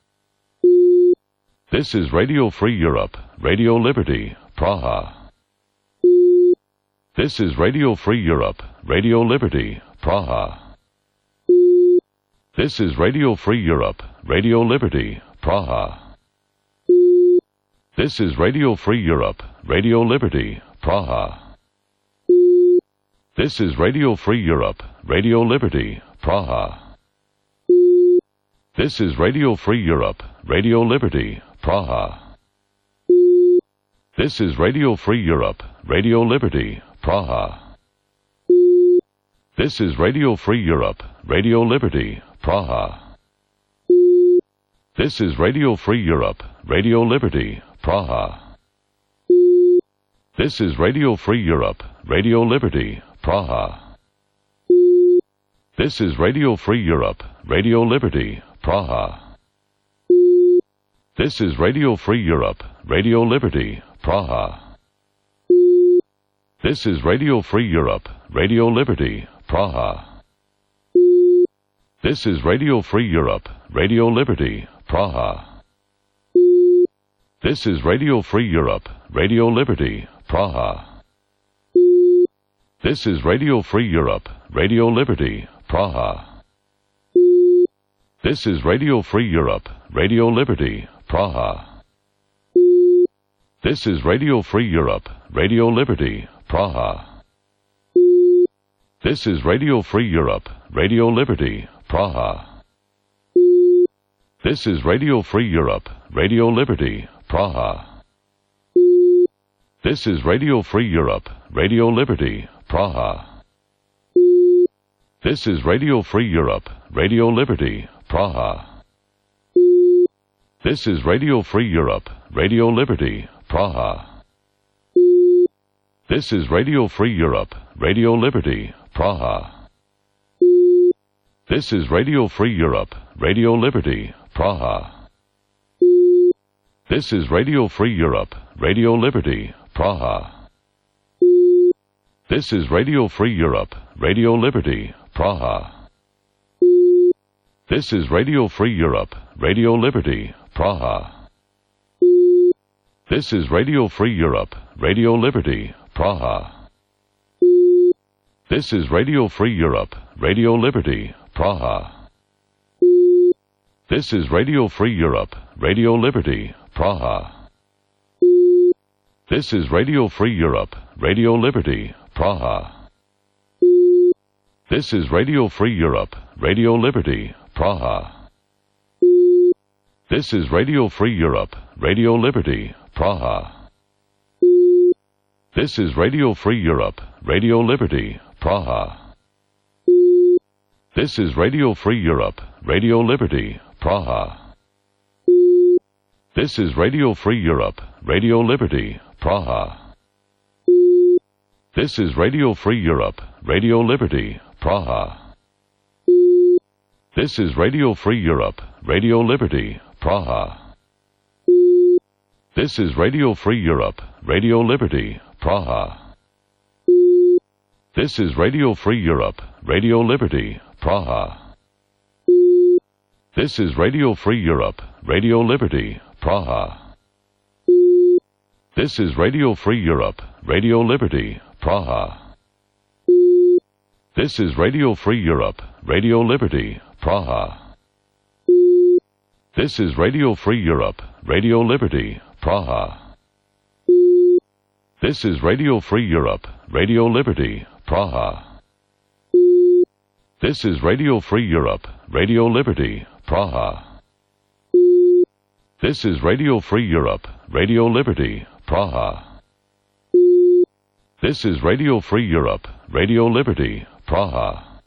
This is Radio Free Europe, Radio Liberty, Praha. This is Radio Free Europe, Radio Liberty, Praha. This is Radio Free Europe, Radio Liberty, Praha. This is Radio Free Europe, Radio Liberty, Praha. This is Radio Free Europe, Radio Liberty, Praha. This is Radio Free Europe, Radio Liberty, Praha. This is Radio Free Europe, Radio Liberty, Praha. This is Radio Free Europe, Radio Liberty, Praha. This is Radio Free Europe, Radio Liberty, Praha. This is Radio Free Europe, Radio Liberty, Praha. This is Radio Free Europe, Radio Liberty, Praha. This is Radio Free Europe, Radio Liberty, Praha. This is Radio Free Europe, Radio Liberty, Praha. This is Radio Free Europe, Radio Liberty, Praha. This is Radio Free Europe, Radio Liberty, Praha. This is Radio Free Europe, Radio Liberty, Praha. This is Radio Free Europe, Radio Liberty, Praha. This is Radio Free Europe, Radio Liberty, Praha. This is Radio Free Europe, Radio Liberty, Praha. This is Radio Free Europe, Radio Liberty, Praha. This is Radio Free Europe, Radio Liberty, Praha. This is Radio Free Europe, Radio Liberty, Praha. This is Radio Free Europe, Radio Liberty, Praha. This is Radio Free Europe, Radio Liberty, Praha. This is Radio Free Europe, Radio Liberty, Praha. This is Radio Free Europe, Radio Liberty, Praha. This is Radio Free Europe, Radio Liberty, Praha. This is Radio Free Europe, Radio Liberty, Praha. This is Radio Free Europe, Radio Liberty, Praha. This is Radio Free Europe, Radio Liberty, Praha. This is Radio Free Europe, Radio Liberty, Praha. This is Radio Free Europe, Radio Liberty, Praha. This is Radio Free Europe, Radio Liberty, Praha. This is Radio Free Europe, Radio Liberty, Praha. This is Radio Free Europe, Radio Liberty, Praha. This is Radio Free Europe, Radio Liberty, Praha. This is Radio Free Europe, Radio Liberty, Praha. This is Radio Free Europe, Radio Liberty, Praha. This is Radio Free Europe, Radio Liberty, Praha. This is Radio Free Europe, Radio Liberty, Praha. This is Radio Free Europe, Radio Liberty, Praha. This is Radio Free Europe, Radio Liberty, Praha. This is Radio Free Europe, Radio Liberty, Praha. This is Radio Free Europe, Radio Liberty, Praha. This is Radio Free Europe, Radio Liberty, Praha. This is Radio Free Europe, Radio Liberty, Praha. This is Radio Free Europe, Radio Liberty, Praha. This is Radio Free Europe, Radio Liberty, Praha. This is Radio Free Europe, Radio Liberty, Praha.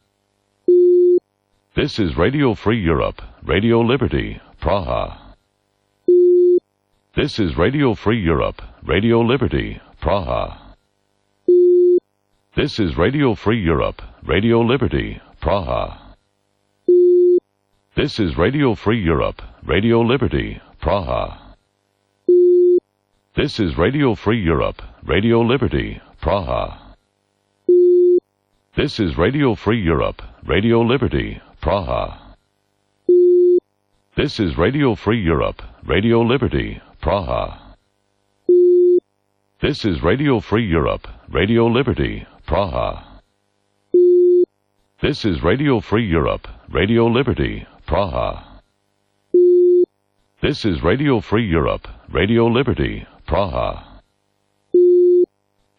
This is Radio Free Europe, Radio Liberty, Praha. This is Radio Free Europe, Radio Liberty, Praha. This is Radio Free Europe, Radio Liberty, Praha. This is Radio Free Europe, Radio Liberty, Praha. This is Radio Free Europe, Radio Liberty, Praha. This is Radio Free Europe, Radio Liberty, Praha. This is Radio Free Europe, Radio Liberty, Praha. This is Radio Free Europe, Radio Liberty, Praha. This is Radio Free Europe, Radio Liberty, Praha. This is Radio Free Europe, Radio Liberty, Praha.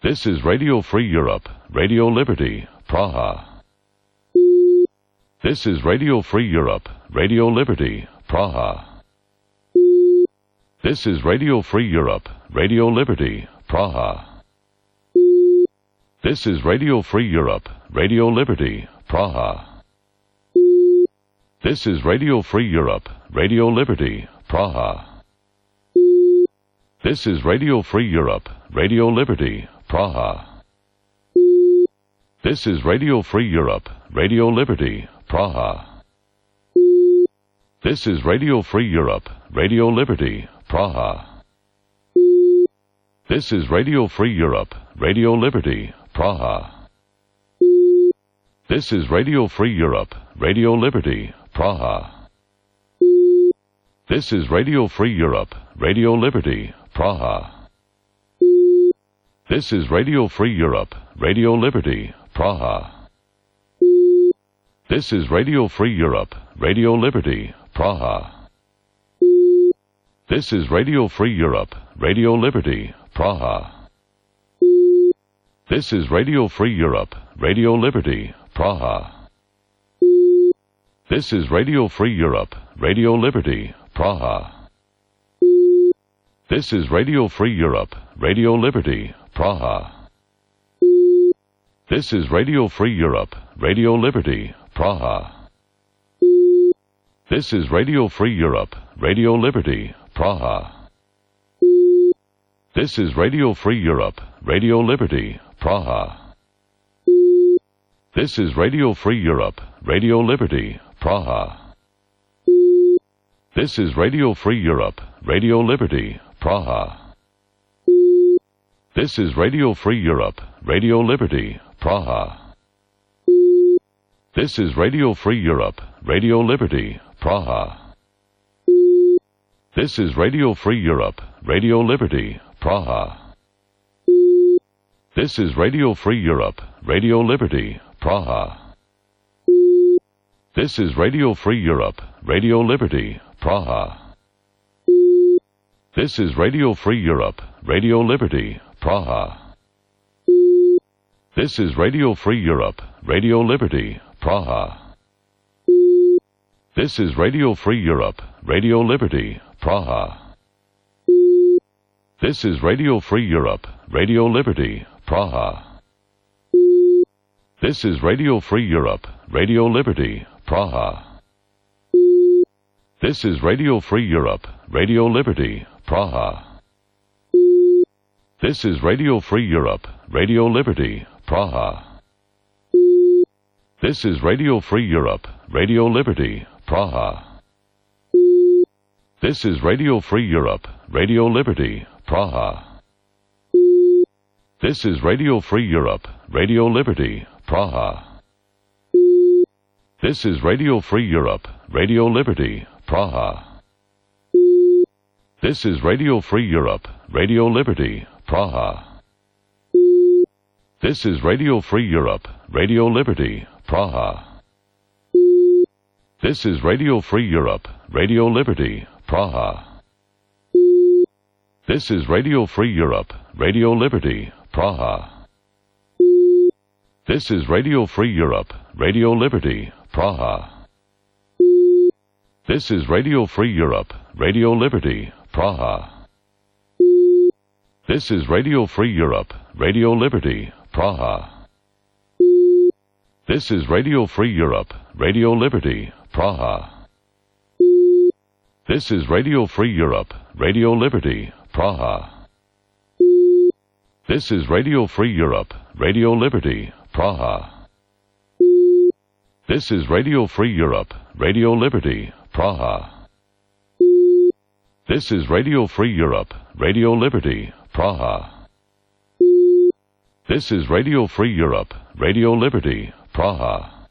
This is Radio Free Europe, Radio Liberty, Praha. This is Radio Free Europe, Radio Liberty, Praha. This is Radio Free Europe, Radio Liberty, Praha. This is Radio Free Europe, Radio Liberty, Praha. This is Radio Free Europe, Radio Liberty, Praha. This is Radio Free Europe, Radio Liberty, Praha. This is Radio Free Europe, Radio Liberty, Praha. This is Radio Free Europe, Radio Liberty, Praha. This is Radio Free Europe, Radio Liberty, Praha. This is Radio Free Europe, Radio Liberty, Praha. This is Radio Free Europe, Radio Liberty, Praha. This is Radio Free Europe, Radio Liberty, Praha. This is Radio Free Europe, Radio Liberty, Praha. This is Radio Free Europe, Radio Liberty, Praha. This is Radio Free Europe, Radio Liberty, Praha. This is Radio Free Europe, Radio Liberty, Praha. This is Radio Free Europe, Radio Liberty, Praha. This is Radio Free Europe, Radio Liberty, Praha. This is Radio Free Europe, Radio Liberty, Praha. This is Radio Free Europe, Radio Liberty, Praha. This is Radio Free Europe, Radio Liberty, Praha. This is Radio Free Europe, Radio Liberty, Praha. This is Radio Free Europe, Radio Liberty, Praha. This is Radio Free Europe, Radio Liberty, Praha. This is Radio Free Europe, Radio Liberty, Praha. This is Radio Free Europe, Radio Liberty, Praha. This is Radio Free Europe, Radio Liberty, Praha. This is Radio Free Europe, Radio Liberty, Praha. This is Radio Free Europe, Radio Liberty, Praha. This is Radio Free Europe, Radio Liberty, Praha. This is Radio Free Europe, Radio Liberty, Praha. This is Radio Free Europe, Radio Liberty, Praha. This is Radio Free Europe, Radio Liberty, Praha. This is Radio Free Europe, Radio Liberty, Praha. This is Radio Free Europe, Radio Liberty, Praha. This is Radio Free Europe, Radio Liberty, Praha. This is Radio Free Europe, Radio Liberty, Praha. This is Radio Free Europe, Radio Liberty, Praha. This is Radio Free Europe, Radio Liberty, Praha. This is Radio Free Europe, Radio Liberty, Praha. This is Radio Free Europe, Radio Liberty, Praha. This is Radio Free Europe, Radio Liberty, Praha. This is Radio Free Europe, Radio Liberty, Praha. This is Radio Free Europe, Radio Liberty, Praha. This is Radio Free Europe, Radio Liberty, Praha. This is Radio Free Europe, Radio Liberty, Praha. This is Radio Free Europe, Radio Liberty, Praha. This is Radio Free Europe, Radio Liberty, Praha. This is Radio Free Europe, Radio Liberty, Praha. This is Radio Free Europe, Radio Liberty, Praha. This is Radio Free Europe, Radio Liberty, Praha.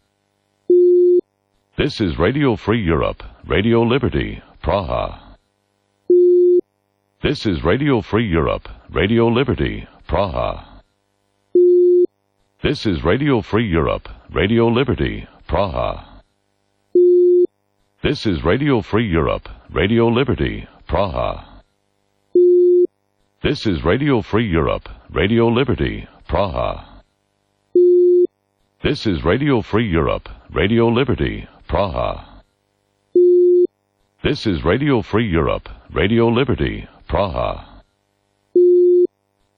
This is Radio Free Europe, Radio Liberty, Praha. This is Radio Free Europe, Radio Liberty, Praha. This is Radio Free Europe, Radio Liberty, Praha. This is Radio Free Europe, Radio Liberty, Praha. This is Radio Free Europe, Radio Liberty, Praha. This is Radio Free Europe, Radio Liberty, Praha. This is Radio Free Europe, Radio Liberty, Praha.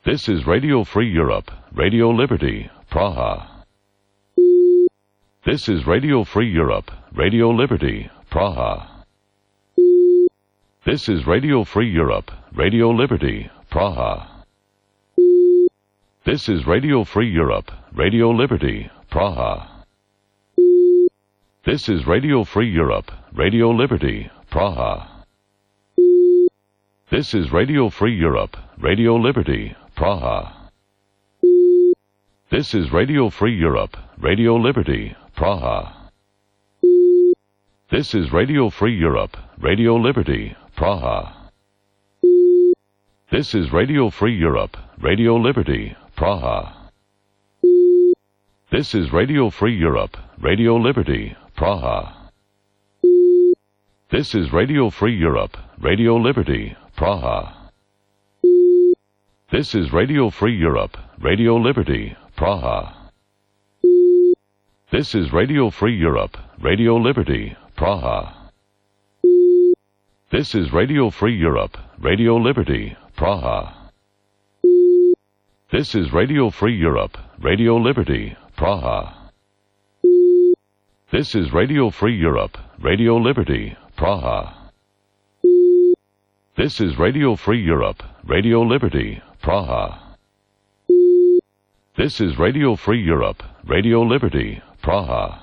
This is Radio Free Europe, Radio Liberty, Praha. This is Radio Free Europe, Radio Liberty, Praha. This is Radio Free Europe, Radio Liberty, Praha. This is Radio Free Europe, Radio Liberty, Praha. This is Radio Free Europe, Radio Liberty, Praha. This is Radio Free Europe, Radio Liberty, Praha. This is Radio Free Europe, Radio Liberty, Praha. This is Radio Free Europe, Radio Liberty, Praha. This is Radio Free Europe, Radio Liberty, Praha. This is Radio Free Europe, Radio Liberty, Praha. This is Radio Free Europe, Radio Liberty, Praha. This is Radio Free Europe, Radio Liberty, Praha. This is Radio Free Europe, Radio Liberty, Praha. This is Radio Free Europe, Radio Liberty, Praha. This is Radio Free Europe, Radio Liberty, Praha. This is Radio Free Europe, Radio Liberty, Praha. This is Radio Free Europe, Radio Liberty, Praha. This is Radio Free Europe, Radio Liberty, Praha.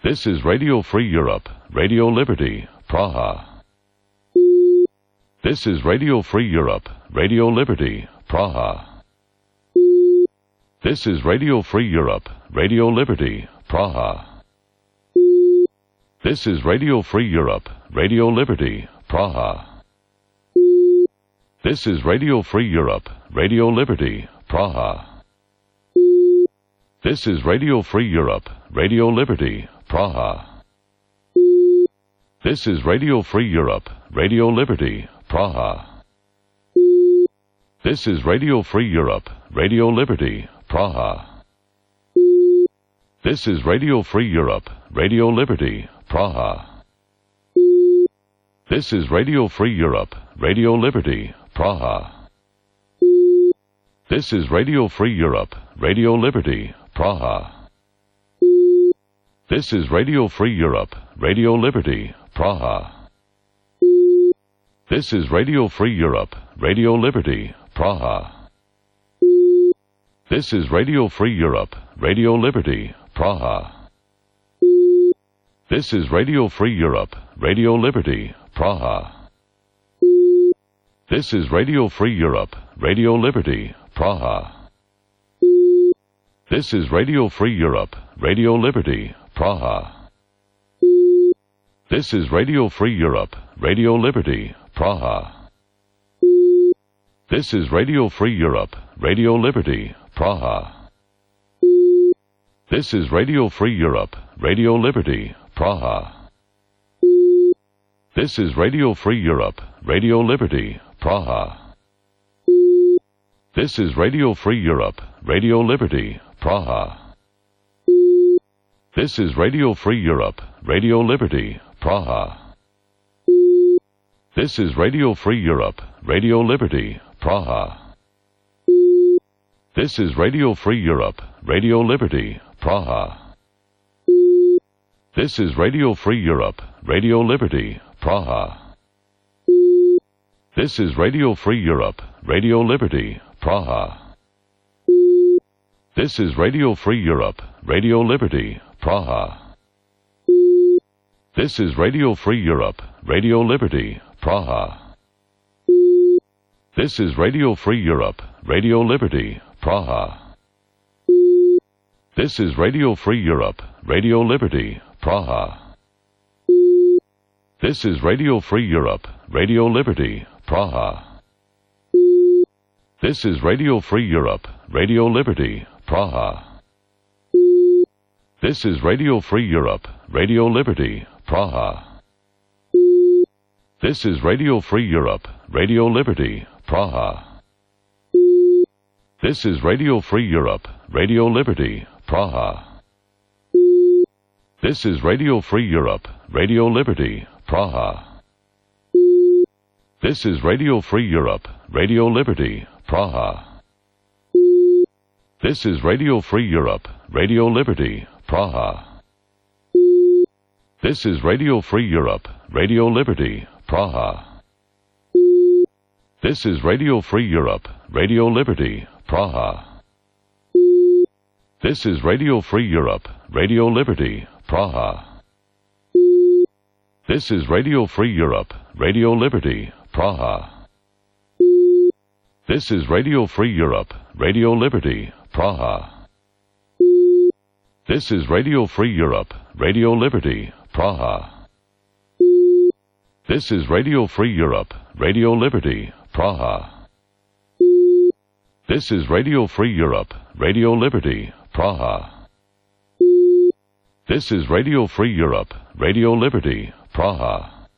This is Radio Free Europe, Radio Liberty, Praha. This is Radio Free Europe, Radio Liberty, Praha. This is Radio Free Europe, Radio Liberty, Praha. This is Radio Free Europe, Radio Liberty, Praha. This is Radio Free Europe, Radio Liberty, Praha. This is Radio Free Europe, Radio Liberty, Praha. This is Radio Free Europe, Radio Liberty, Praha. This is Radio Free Europe, Radio Liberty, Praha. This is Radio Free Europe, Radio Liberty, Praha. This is Radio Free Europe, Radio Liberty, Praha. This is Radio Free Europe, Radio Liberty, Praha. This is Radio Free Europe, Radio Liberty, Praha. This is Radio Free Europe, Radio Liberty, Praha. This is Radio Free Europe, Radio Liberty, Praha. This is Radio Free Europe, Radio Liberty, Praha. This is Radio Free Europe, Radio Liberty, Praha. This is Radio Free Europe, Radio Liberty, Praha. This is Radio Free Europe, Radio Liberty, Praha. This is Radio Free Europe, Radio Liberty, Praha. This is Radio Free Europe, Radio Liberty, Praha. This is Radio Free Europe, Radio Liberty, Praha. This is Radio Free Europe, Radio Liberty, Praha. This is Radio Free Europe, Radio Liberty, Praha. This is Radio Free Europe, Radio Liberty, Praha. This is Radio Free Europe, Radio Liberty, Praha. This is Radio Free Europe, Radio Liberty, Praha. This is Radio Free Europe, Radio Liberty, Praha. This is Radio Free Europe, Radio Liberty, Praha. This is Radio Free Europe, Radio Liberty, Praha. This is Radio Free Europe, Radio Liberty, Praha. This is Radio Free Europe, Radio Liberty, Praha. This is Radio Free Europe, Radio Liberty, Praha. This is Radio Free Europe, Radio Liberty, Praha. This is Radio Free Europe, Radio Liberty, Praha. This is Radio Free Europe, Radio Liberty, Praha. This is Radio Free Europe, Radio Liberty, Praha. This is Radio Free Europe, Radio Liberty, Praha. This is Radio Free Europe, Radio Liberty, Praha. This is Radio Free Europe, Radio Liberty, Praha. This is Radio Free Europe, Radio Liberty, Praha. This is Radio Free Europe, Radio Liberty, Praha. This is Radio Free Europe, Radio Liberty, Praha. This is Radio Free Europe, Radio Liberty, Praha. This is Radio Free Europe, Radio Liberty, Praha. This is Radio Free Europe, Radio Liberty, Praha. This is Radio Free Europe, Radio Liberty, Praha. This is Radio Free Europe, Radio Liberty, Praha. This is Radio Free Europe, Radio Liberty, Praha.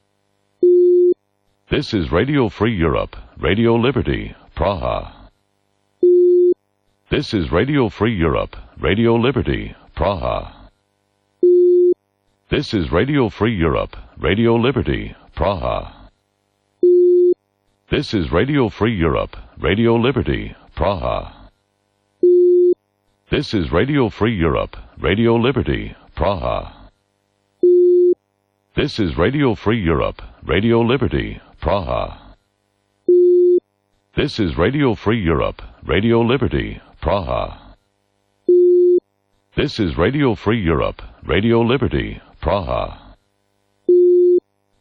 This is Radio Free Europe, Radio Liberty, Praha. This is Radio Free Europe, Radio Liberty, Praha. This is Radio Free Europe, Radio Liberty, Praha. This is Radio Free Europe, Radio Liberty, Praha. This is Radio Free Europe, Radio Liberty, Praha. This is Radio Free Europe, Radio Liberty, Praha. This is Radio Free Europe, Radio Liberty, Praha. This is Radio Free Europe, Radio Liberty, Praha.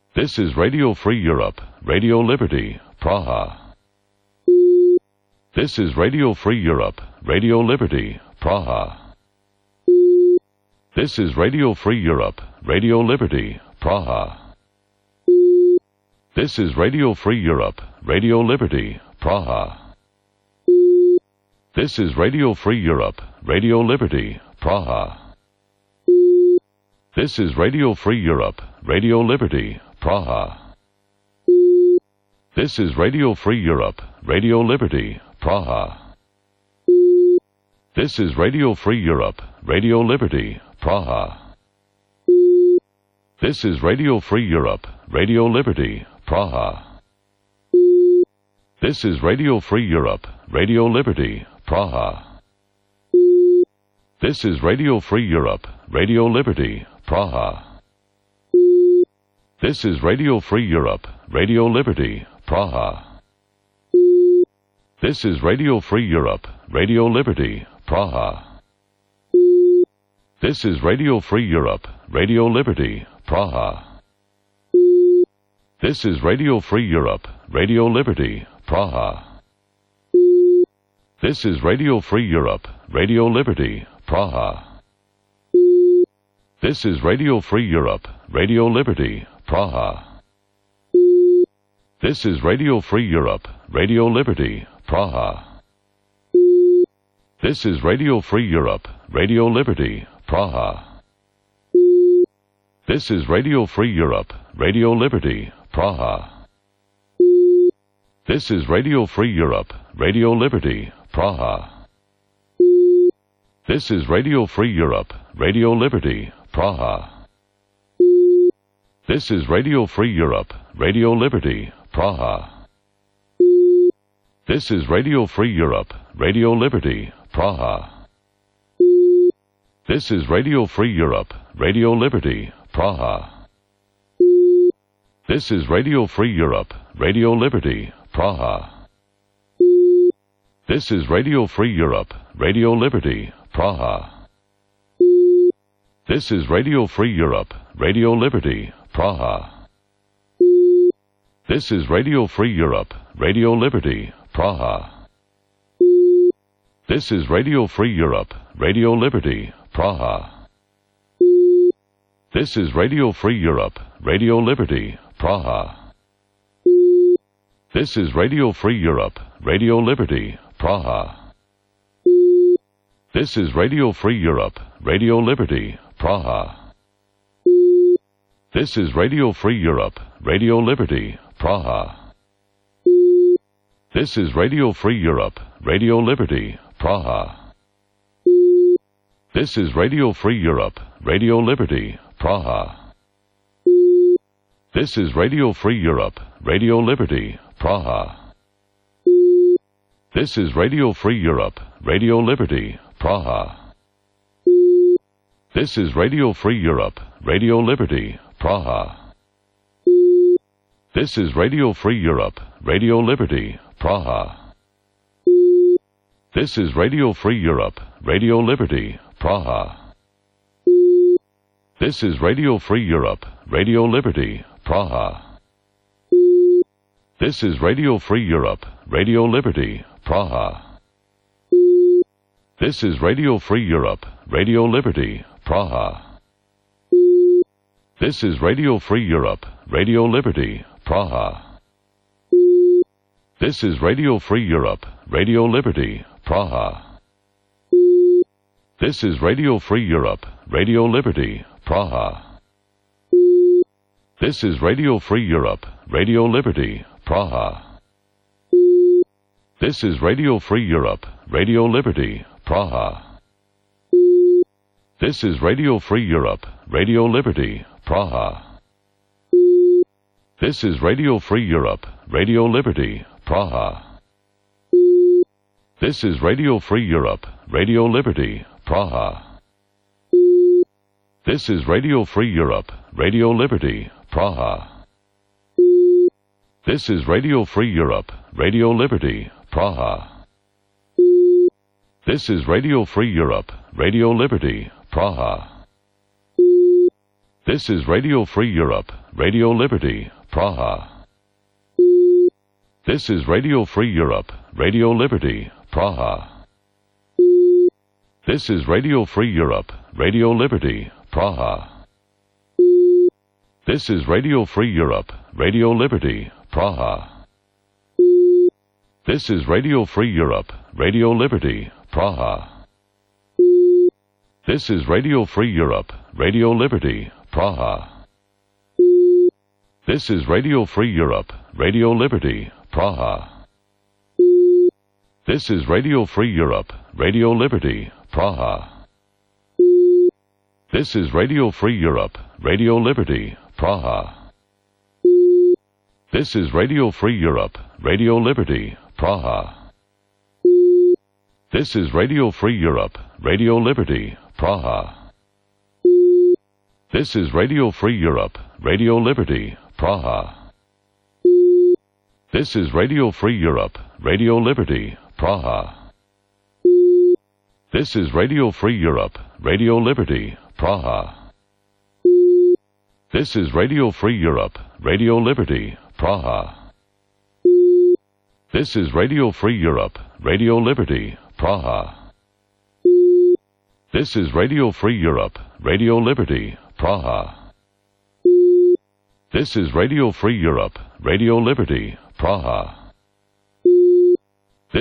This is Radio Free Europe, Radio Liberty, Praha. This is Radio Free Europe, Radio Liberty, Praha. This is Radio Free Europe, Radio Liberty, Praha. This is Radio Free Europe, Radio Liberty, Praha. This is Radio Free Europe, Radio Liberty, Praha. This is Radio Free Europe, Radio Liberty, Praha. This is Radio Free Europe, Radio Liberty, Praha. This is Radio Free Europe, Radio Liberty, Praha. This is Radio Free Europe, Radio Liberty, Praha. This is Radio Free Europe, Radio Liberty, Praha. This is Radio Free Europe, Radio Liberty, Praha. This is Radio Free Europe, Radio Liberty, Praha. This is Radio Free Europe, Radio Liberty, Praha. This is Radio Free Europe, Radio Liberty, Praha. This is Radio Free Europe, Radio Liberty, Praha. This is Radio Free Europe, Radio Liberty, Praha. This is Radio Free Europe, Radio Liberty, Praha. This is Radio Free Europe, Radio Liberty, Praha. This is Radio Free Europe, Radio Liberty, Praha. This is Radio Free Europe, Radio Liberty, Praha. This is Radio Free Europe, Radio Liberty, Praha. This is Radio Free Europe, Radio Liberty, Praha. This is Radio Free Europe, Radio Liberty, Praha. This is Radio Free Europe, Radio Liberty, Praha. This is Radio Free Europe, Radio Liberty, Praha. This is Radio Free Europe, Radio Liberty, Praha. This is Radio Free Europe, Radio Liberty, Praha. This is Radio Free Europe, Radio Liberty, Praha. This is Radio Free Europe, Radio Liberty, Praha. This is Radio Free Europe, Radio Liberty, Praha. This is Radio Free Europe, Radio Liberty, Praha. This is Radio Free Europe, Radio Liberty, Praha. This is Radio Free Europe, Radio Liberty, Praha. This is Radio Free Europe, Radio Liberty, Praha. This is Radio Free Europe, Radio Liberty, Praha. This is Radio Free Europe, Radio Liberty, Praha. This is Radio Free Europe, Radio Liberty, Praha. This is Radio Free Europe, Radio Liberty, Praha. This is Radio Free Europe, Radio Liberty, Praha. This is Radio Free Europe, Radio Liberty, Praha. This is Radio Free Europe, Radio Liberty, Praha. This is Radio Free Europe, Radio Liberty, Praha. This is Radio Free Europe, Radio Liberty, Praha. This is Radio Free Europe, Radio Liberty, Praha. This is Radio Free Europe, Radio Liberty, Praha. This is Radio Free Europe, Radio Liberty, Praha. This is Radio Free Europe, Radio Liberty, Praha. This is Radio Free Europe, Radio Liberty, Praha. This is Radio Free Europe, Radio Liberty, Praha. This is Radio Free Europe, Radio Liberty, Praha. This is Radio Free Europe, Radio Liberty, Praha. This is Radio Free Europe, Radio Liberty, Praha. This is Radio Free Europe, Radio Liberty, Praha. This is Radio Free Europe, Radio Liberty, Praha. This is Radio Free Europe, Radio Liberty, Praha. This is Radio Free Europe, Radio Liberty, Praha. This is Radio Free Europe, Radio Liberty, Praha. This is Radio Free Europe, Radio Liberty, Praha. This is Radio Free Europe, Radio Liberty, Praha. This is Radio Free Europe, Radio Liberty, Praha. This is Radio Free Europe, Radio Liberty, Praha. This is Radio Free Europe, Radio Liberty, Praha. This is Radio Free Europe, Radio Liberty, Praha. This is Radio Free Europe, Radio Liberty, Praha. This is Radio Free Europe, Radio Liberty, Praha. This is Radio Free Europe, Radio Liberty, Praha. This is Radio Free Europe, Radio Liberty, Praha. This is Radio Free Europe, Radio Liberty, Praha. This is Radio Free Europe, Radio Liberty, Praha. This is Radio Free Europe, Radio Liberty, Praha. This is Radio Free Europe, Radio Liberty, Praha. This is Radio Free Europe, Radio Liberty, Praha. This is Radio Free Europe, Radio Liberty, Praha.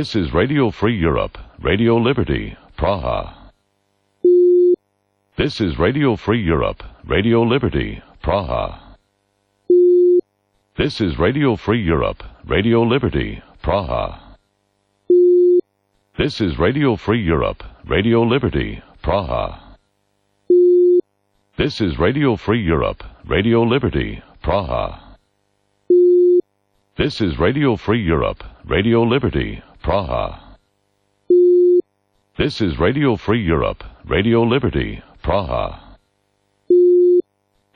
This is Radio Free Europe, Radio Liberty, Praha. This is Radio Free Europe, Radio Liberty, Praha. This is Radio Free Europe, Radio Liberty, Praha. This is Radio Free Europe, Radio Liberty, Praha. This is Radio Free Europe, Radio Liberty, Praha. This is Radio Free Europe, Radio Liberty, Praha. This is Radio Free Europe, Radio Liberty, Praha.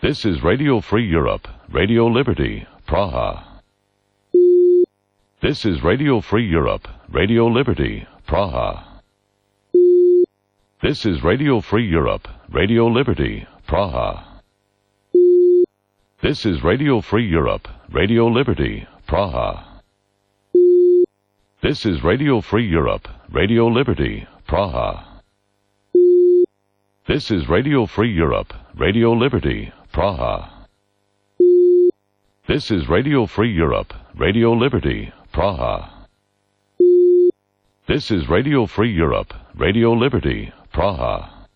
This is Radio Free Europe, Radio Liberty, Praha. This is Radio Free Europe, Radio Liberty, Praha. This is Radio Free Europe, Radio Liberty, Praha. This is Radio Free Europe, Radio Liberty, Praha. This is Radio Free Europe, Radio Liberty, Praha. This is Radio Free Europe, Radio Liberty, Praha. This is Radio Free Europe, Radio Liberty, Praha. This is Radio Free Europe, Radio Liberty, Praha.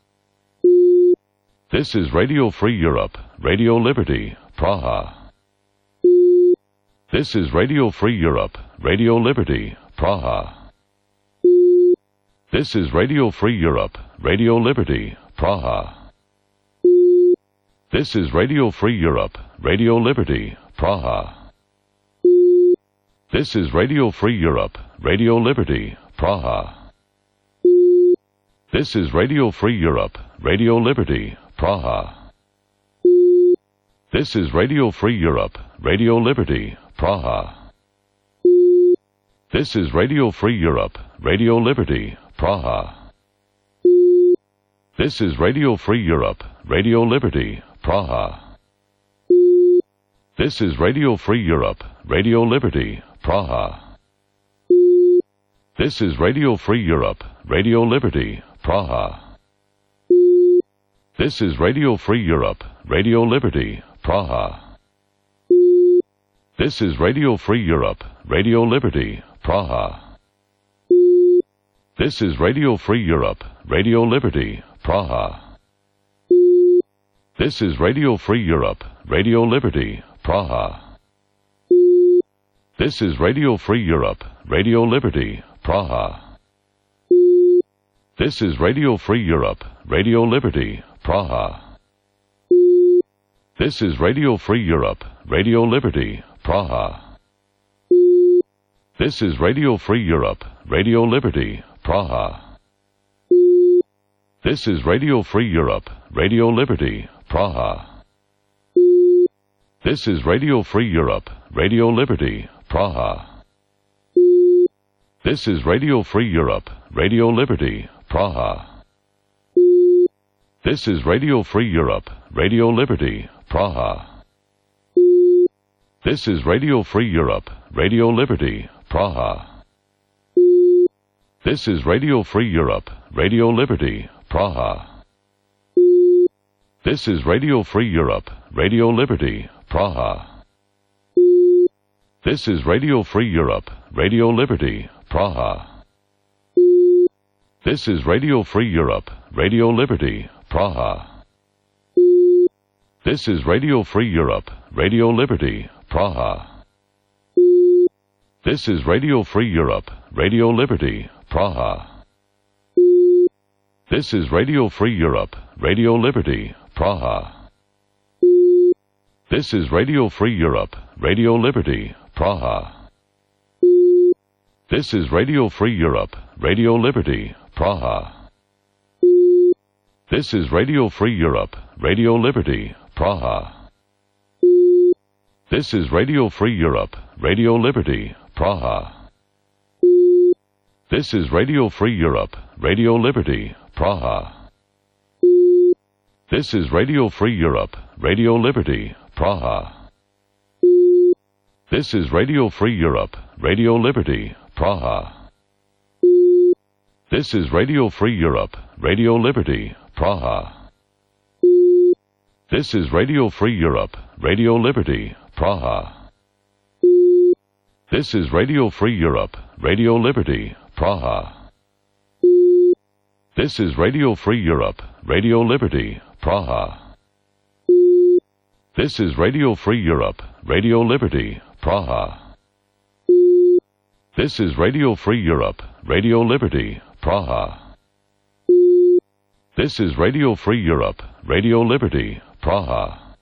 This is Radio Free Europe, Radio Liberty, Praha. This is Radio Free Europe, Radio Liberty, Praha. This is Radio Free Europe, Radio Liberty, Praha. This is Radio Free Europe, Radio Liberty, Praha. This is Radio Free Europe, Radio Liberty, Praha. This is Radio Free Europe, Radio Liberty, Praha. This is Radio Free Europe, Radio Liberty, Praha. This is Radio Free Europe, Radio Liberty, Praha. This is Radio Free Europe, Radio Liberty, Praha. This is Radio Free Europe, Radio Liberty, Praha. This is Radio Free Europe, Radio Liberty, Praha. This is Radio Free Europe, Radio Liberty, Praha. This is Radio Free Europe, Radio Liberty, Praha. This is Radio Free Europe, Radio Liberty, Praha. This is Radio Free Europe, Radio Liberty, Praha. This is Radio Free Europe, Radio Liberty, Praha. This is Radio Free Europe, Radio Liberty, Praha. This is Radio Free Europe, Radio Liberty, Praha. This is Radio Free Europe, Radio Liberty, Praha. This is Radio Free Europe, Radio Liberty, Praha. This is Radio Free Europe, Radio Liberty, Praha. This is Radio Free Europe, Radio Liberty, Praha. This is Radio Free Europe, Radio Liberty, Praha. This is Radio Free Europe, Radio Liberty, Praha. This is Radio Free Europe, Radio Liberty, Praha. This is Radio Free Europe, Radio Liberty, Praha. This is Radio Free Europe, Radio Liberty, Praha. This is Radio Free Europe, Radio Liberty, Praha. This is Radio Free Europe, Radio Liberty, Praha. This is Radio Free Europe, Radio Liberty, Praha. This is Radio Free Europe, Radio Liberty, Praha. This is Radio Free Europe, Radio Liberty, Praha. This is Radio Free Europe, Radio Liberty, Praha. This is Radio Free Europe, Radio Liberty, Praha. This is Radio Free Europe, Radio Liberty, Praha. This is Radio Free Europe, Radio Liberty, Praha. This is Radio Free Europe, Radio Liberty, Praha. This is Radio Free Europe, Radio Liberty, Praha. This is Radio Free Europe, Radio Liberty, Praha. This is Radio Free Europe, Radio Liberty, Praha. This is Radio Free Europe, Radio Liberty, Praha. This is Radio Free Europe, Radio Liberty, Praha. This is Radio Free Europe, Radio Liberty, Praha. This is Radio Free Europe, Radio Liberty, Praha. This is Radio Free Europe, Radio Liberty, Praha.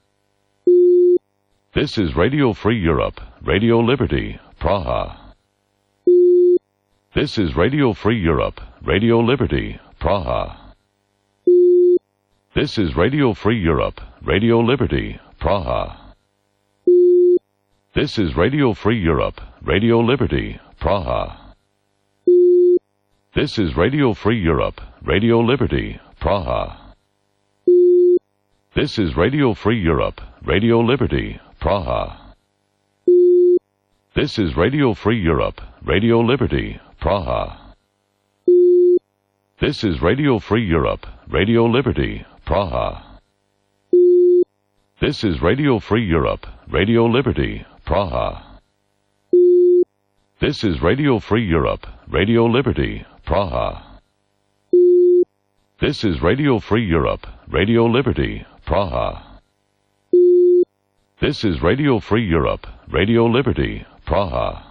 This is Radio Free Europe, Radio Liberty, Praha. This is Radio Free Europe, Radio Liberty, Praha. This is Radio Free Europe, Radio Liberty, Praha. This is Radio Free Europe, Radio Liberty, Praha. This is Radio Free Europe, Radio Liberty, Praha. This is Radio Free Europe, Radio Liberty, Praha. This is Radio Free Europe, Radio Liberty, Praha. This is Radio Free Europe, Radio Liberty, Praha. This is Radio Free Europe, Radio Liberty, Praha. This is Radio Free Europe, Radio Liberty, Praha. This is Radio Free Europe, Radio Liberty, Praha. This is Radio Free Europe, Radio Liberty, Praha.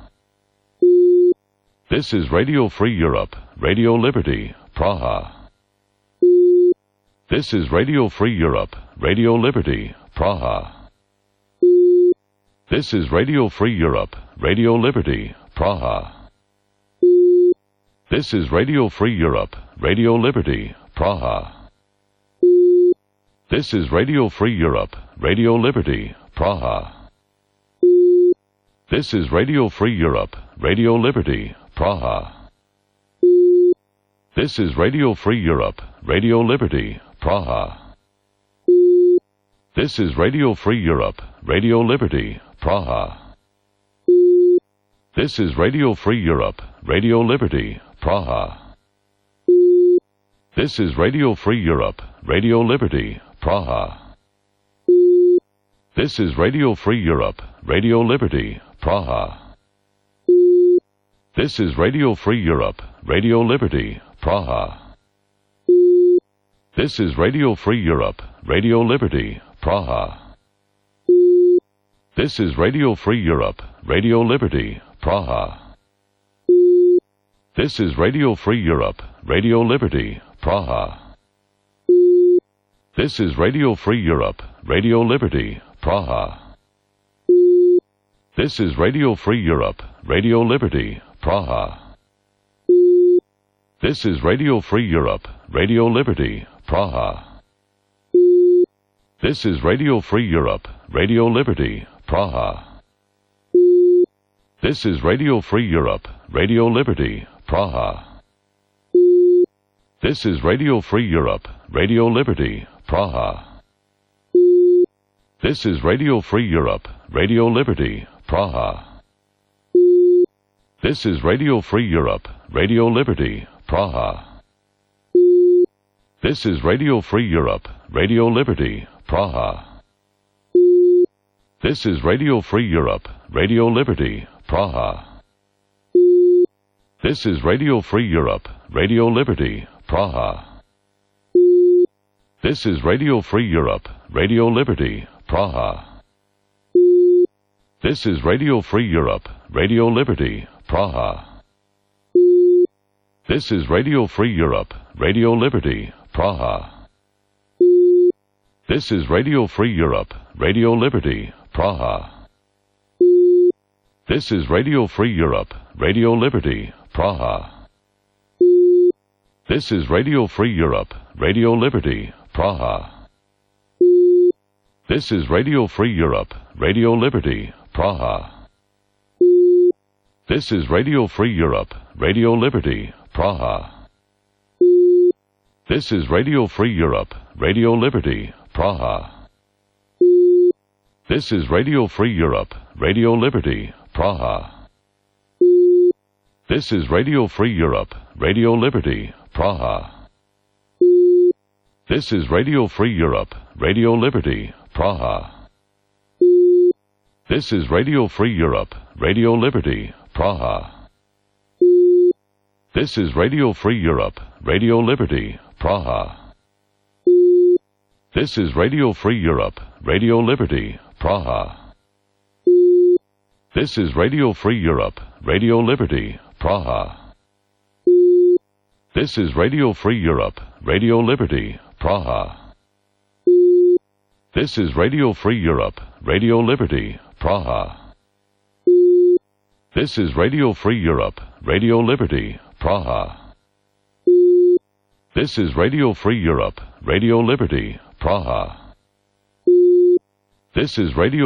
This is Radio Free Europe, Radio Liberty, Praha. This is Radio Free Europe, Radio Liberty, Praha. This is Radio Free Europe, Radio Liberty, Praha. This is Radio Free Europe, Radio Liberty, Praha. This is Radio Free Europe, Radio Liberty, Praha. This is Radio Free Europe, Radio Liberty, Praha. This is Radio Free Europe, Radio Liberty, Praha. This is Radio Free Europe, Radio Liberty, Praha. This is Radio Free Europe, Radio Liberty, Praha. This is Radio Free Europe, Radio Liberty, Praha. This is Radio Free Europe, Radio Liberty, Praha. This is Radio Free Europe, Radio Liberty, Praha. This is Radio Free Europe, Radio Liberty, Praha. This is Radio Free Europe, Radio Liberty, Praha. This is Radio Free Europe, Radio Liberty, Praha. This is Radio Free Europe, Radio Liberty, Praha. This is Radio Free Europe, Radio Liberty, Praha. This is Radio Free Europe, Radio Liberty, Praha. This is Radio Free Europe, Radio Liberty, Praha. This is Radio Free Europe, Radio Liberty, Praha. This is Radio Free Europe, Radio Liberty, Praha. This is Radio Free Europe, Radio Liberty, Praha. This is Radio Free Europe, Radio Liberty, Praha. This is Radio Free Europe, Radio Liberty, Praha. This is Radio Free Europe, Radio Liberty, Praha. This is Radio Free Europe, Radio Liberty, Praha. This is Radio Free Europe, Radio Liberty, Praha. This is Radio Free Europe, Radio Liberty, Praha. This is Radio Free Europe, Radio Liberty, Praha. This is Radio Free Europe, Radio Liberty, Praha. This is Radio Free Europe, Radio Liberty, Praha. This is Radio Free Europe, Radio Liberty, Praha. This is Radio Free Europe, Radio Liberty, Praha. This is Radio Free Europe, Radio Liberty, Praha. This is Radio Free Europe, Radio Liberty, Praha. This is Radio Free Europe, Radio Liberty, Praha. This is Radio Free Europe, Radio Liberty, Praha. This is Radio Free Europe, Radio Liberty, Praha. This is Radio Free Europe, Radio Liberty, Praha. This is Radio Free Europe, Radio Liberty, Praha. This is Radio Free Europe, Radio Liberty, Praha. This is Radio Free Europe, Radio Liberty, Praha. This is Radio Free Europe, Radio Liberty, Praha. This is Radio Free Europe, Radio Liberty, Praha. This is Radio Free Europe, Radio Liberty, Praha. This is Radio Free Europe, Radio Liberty, Praha. This is Radio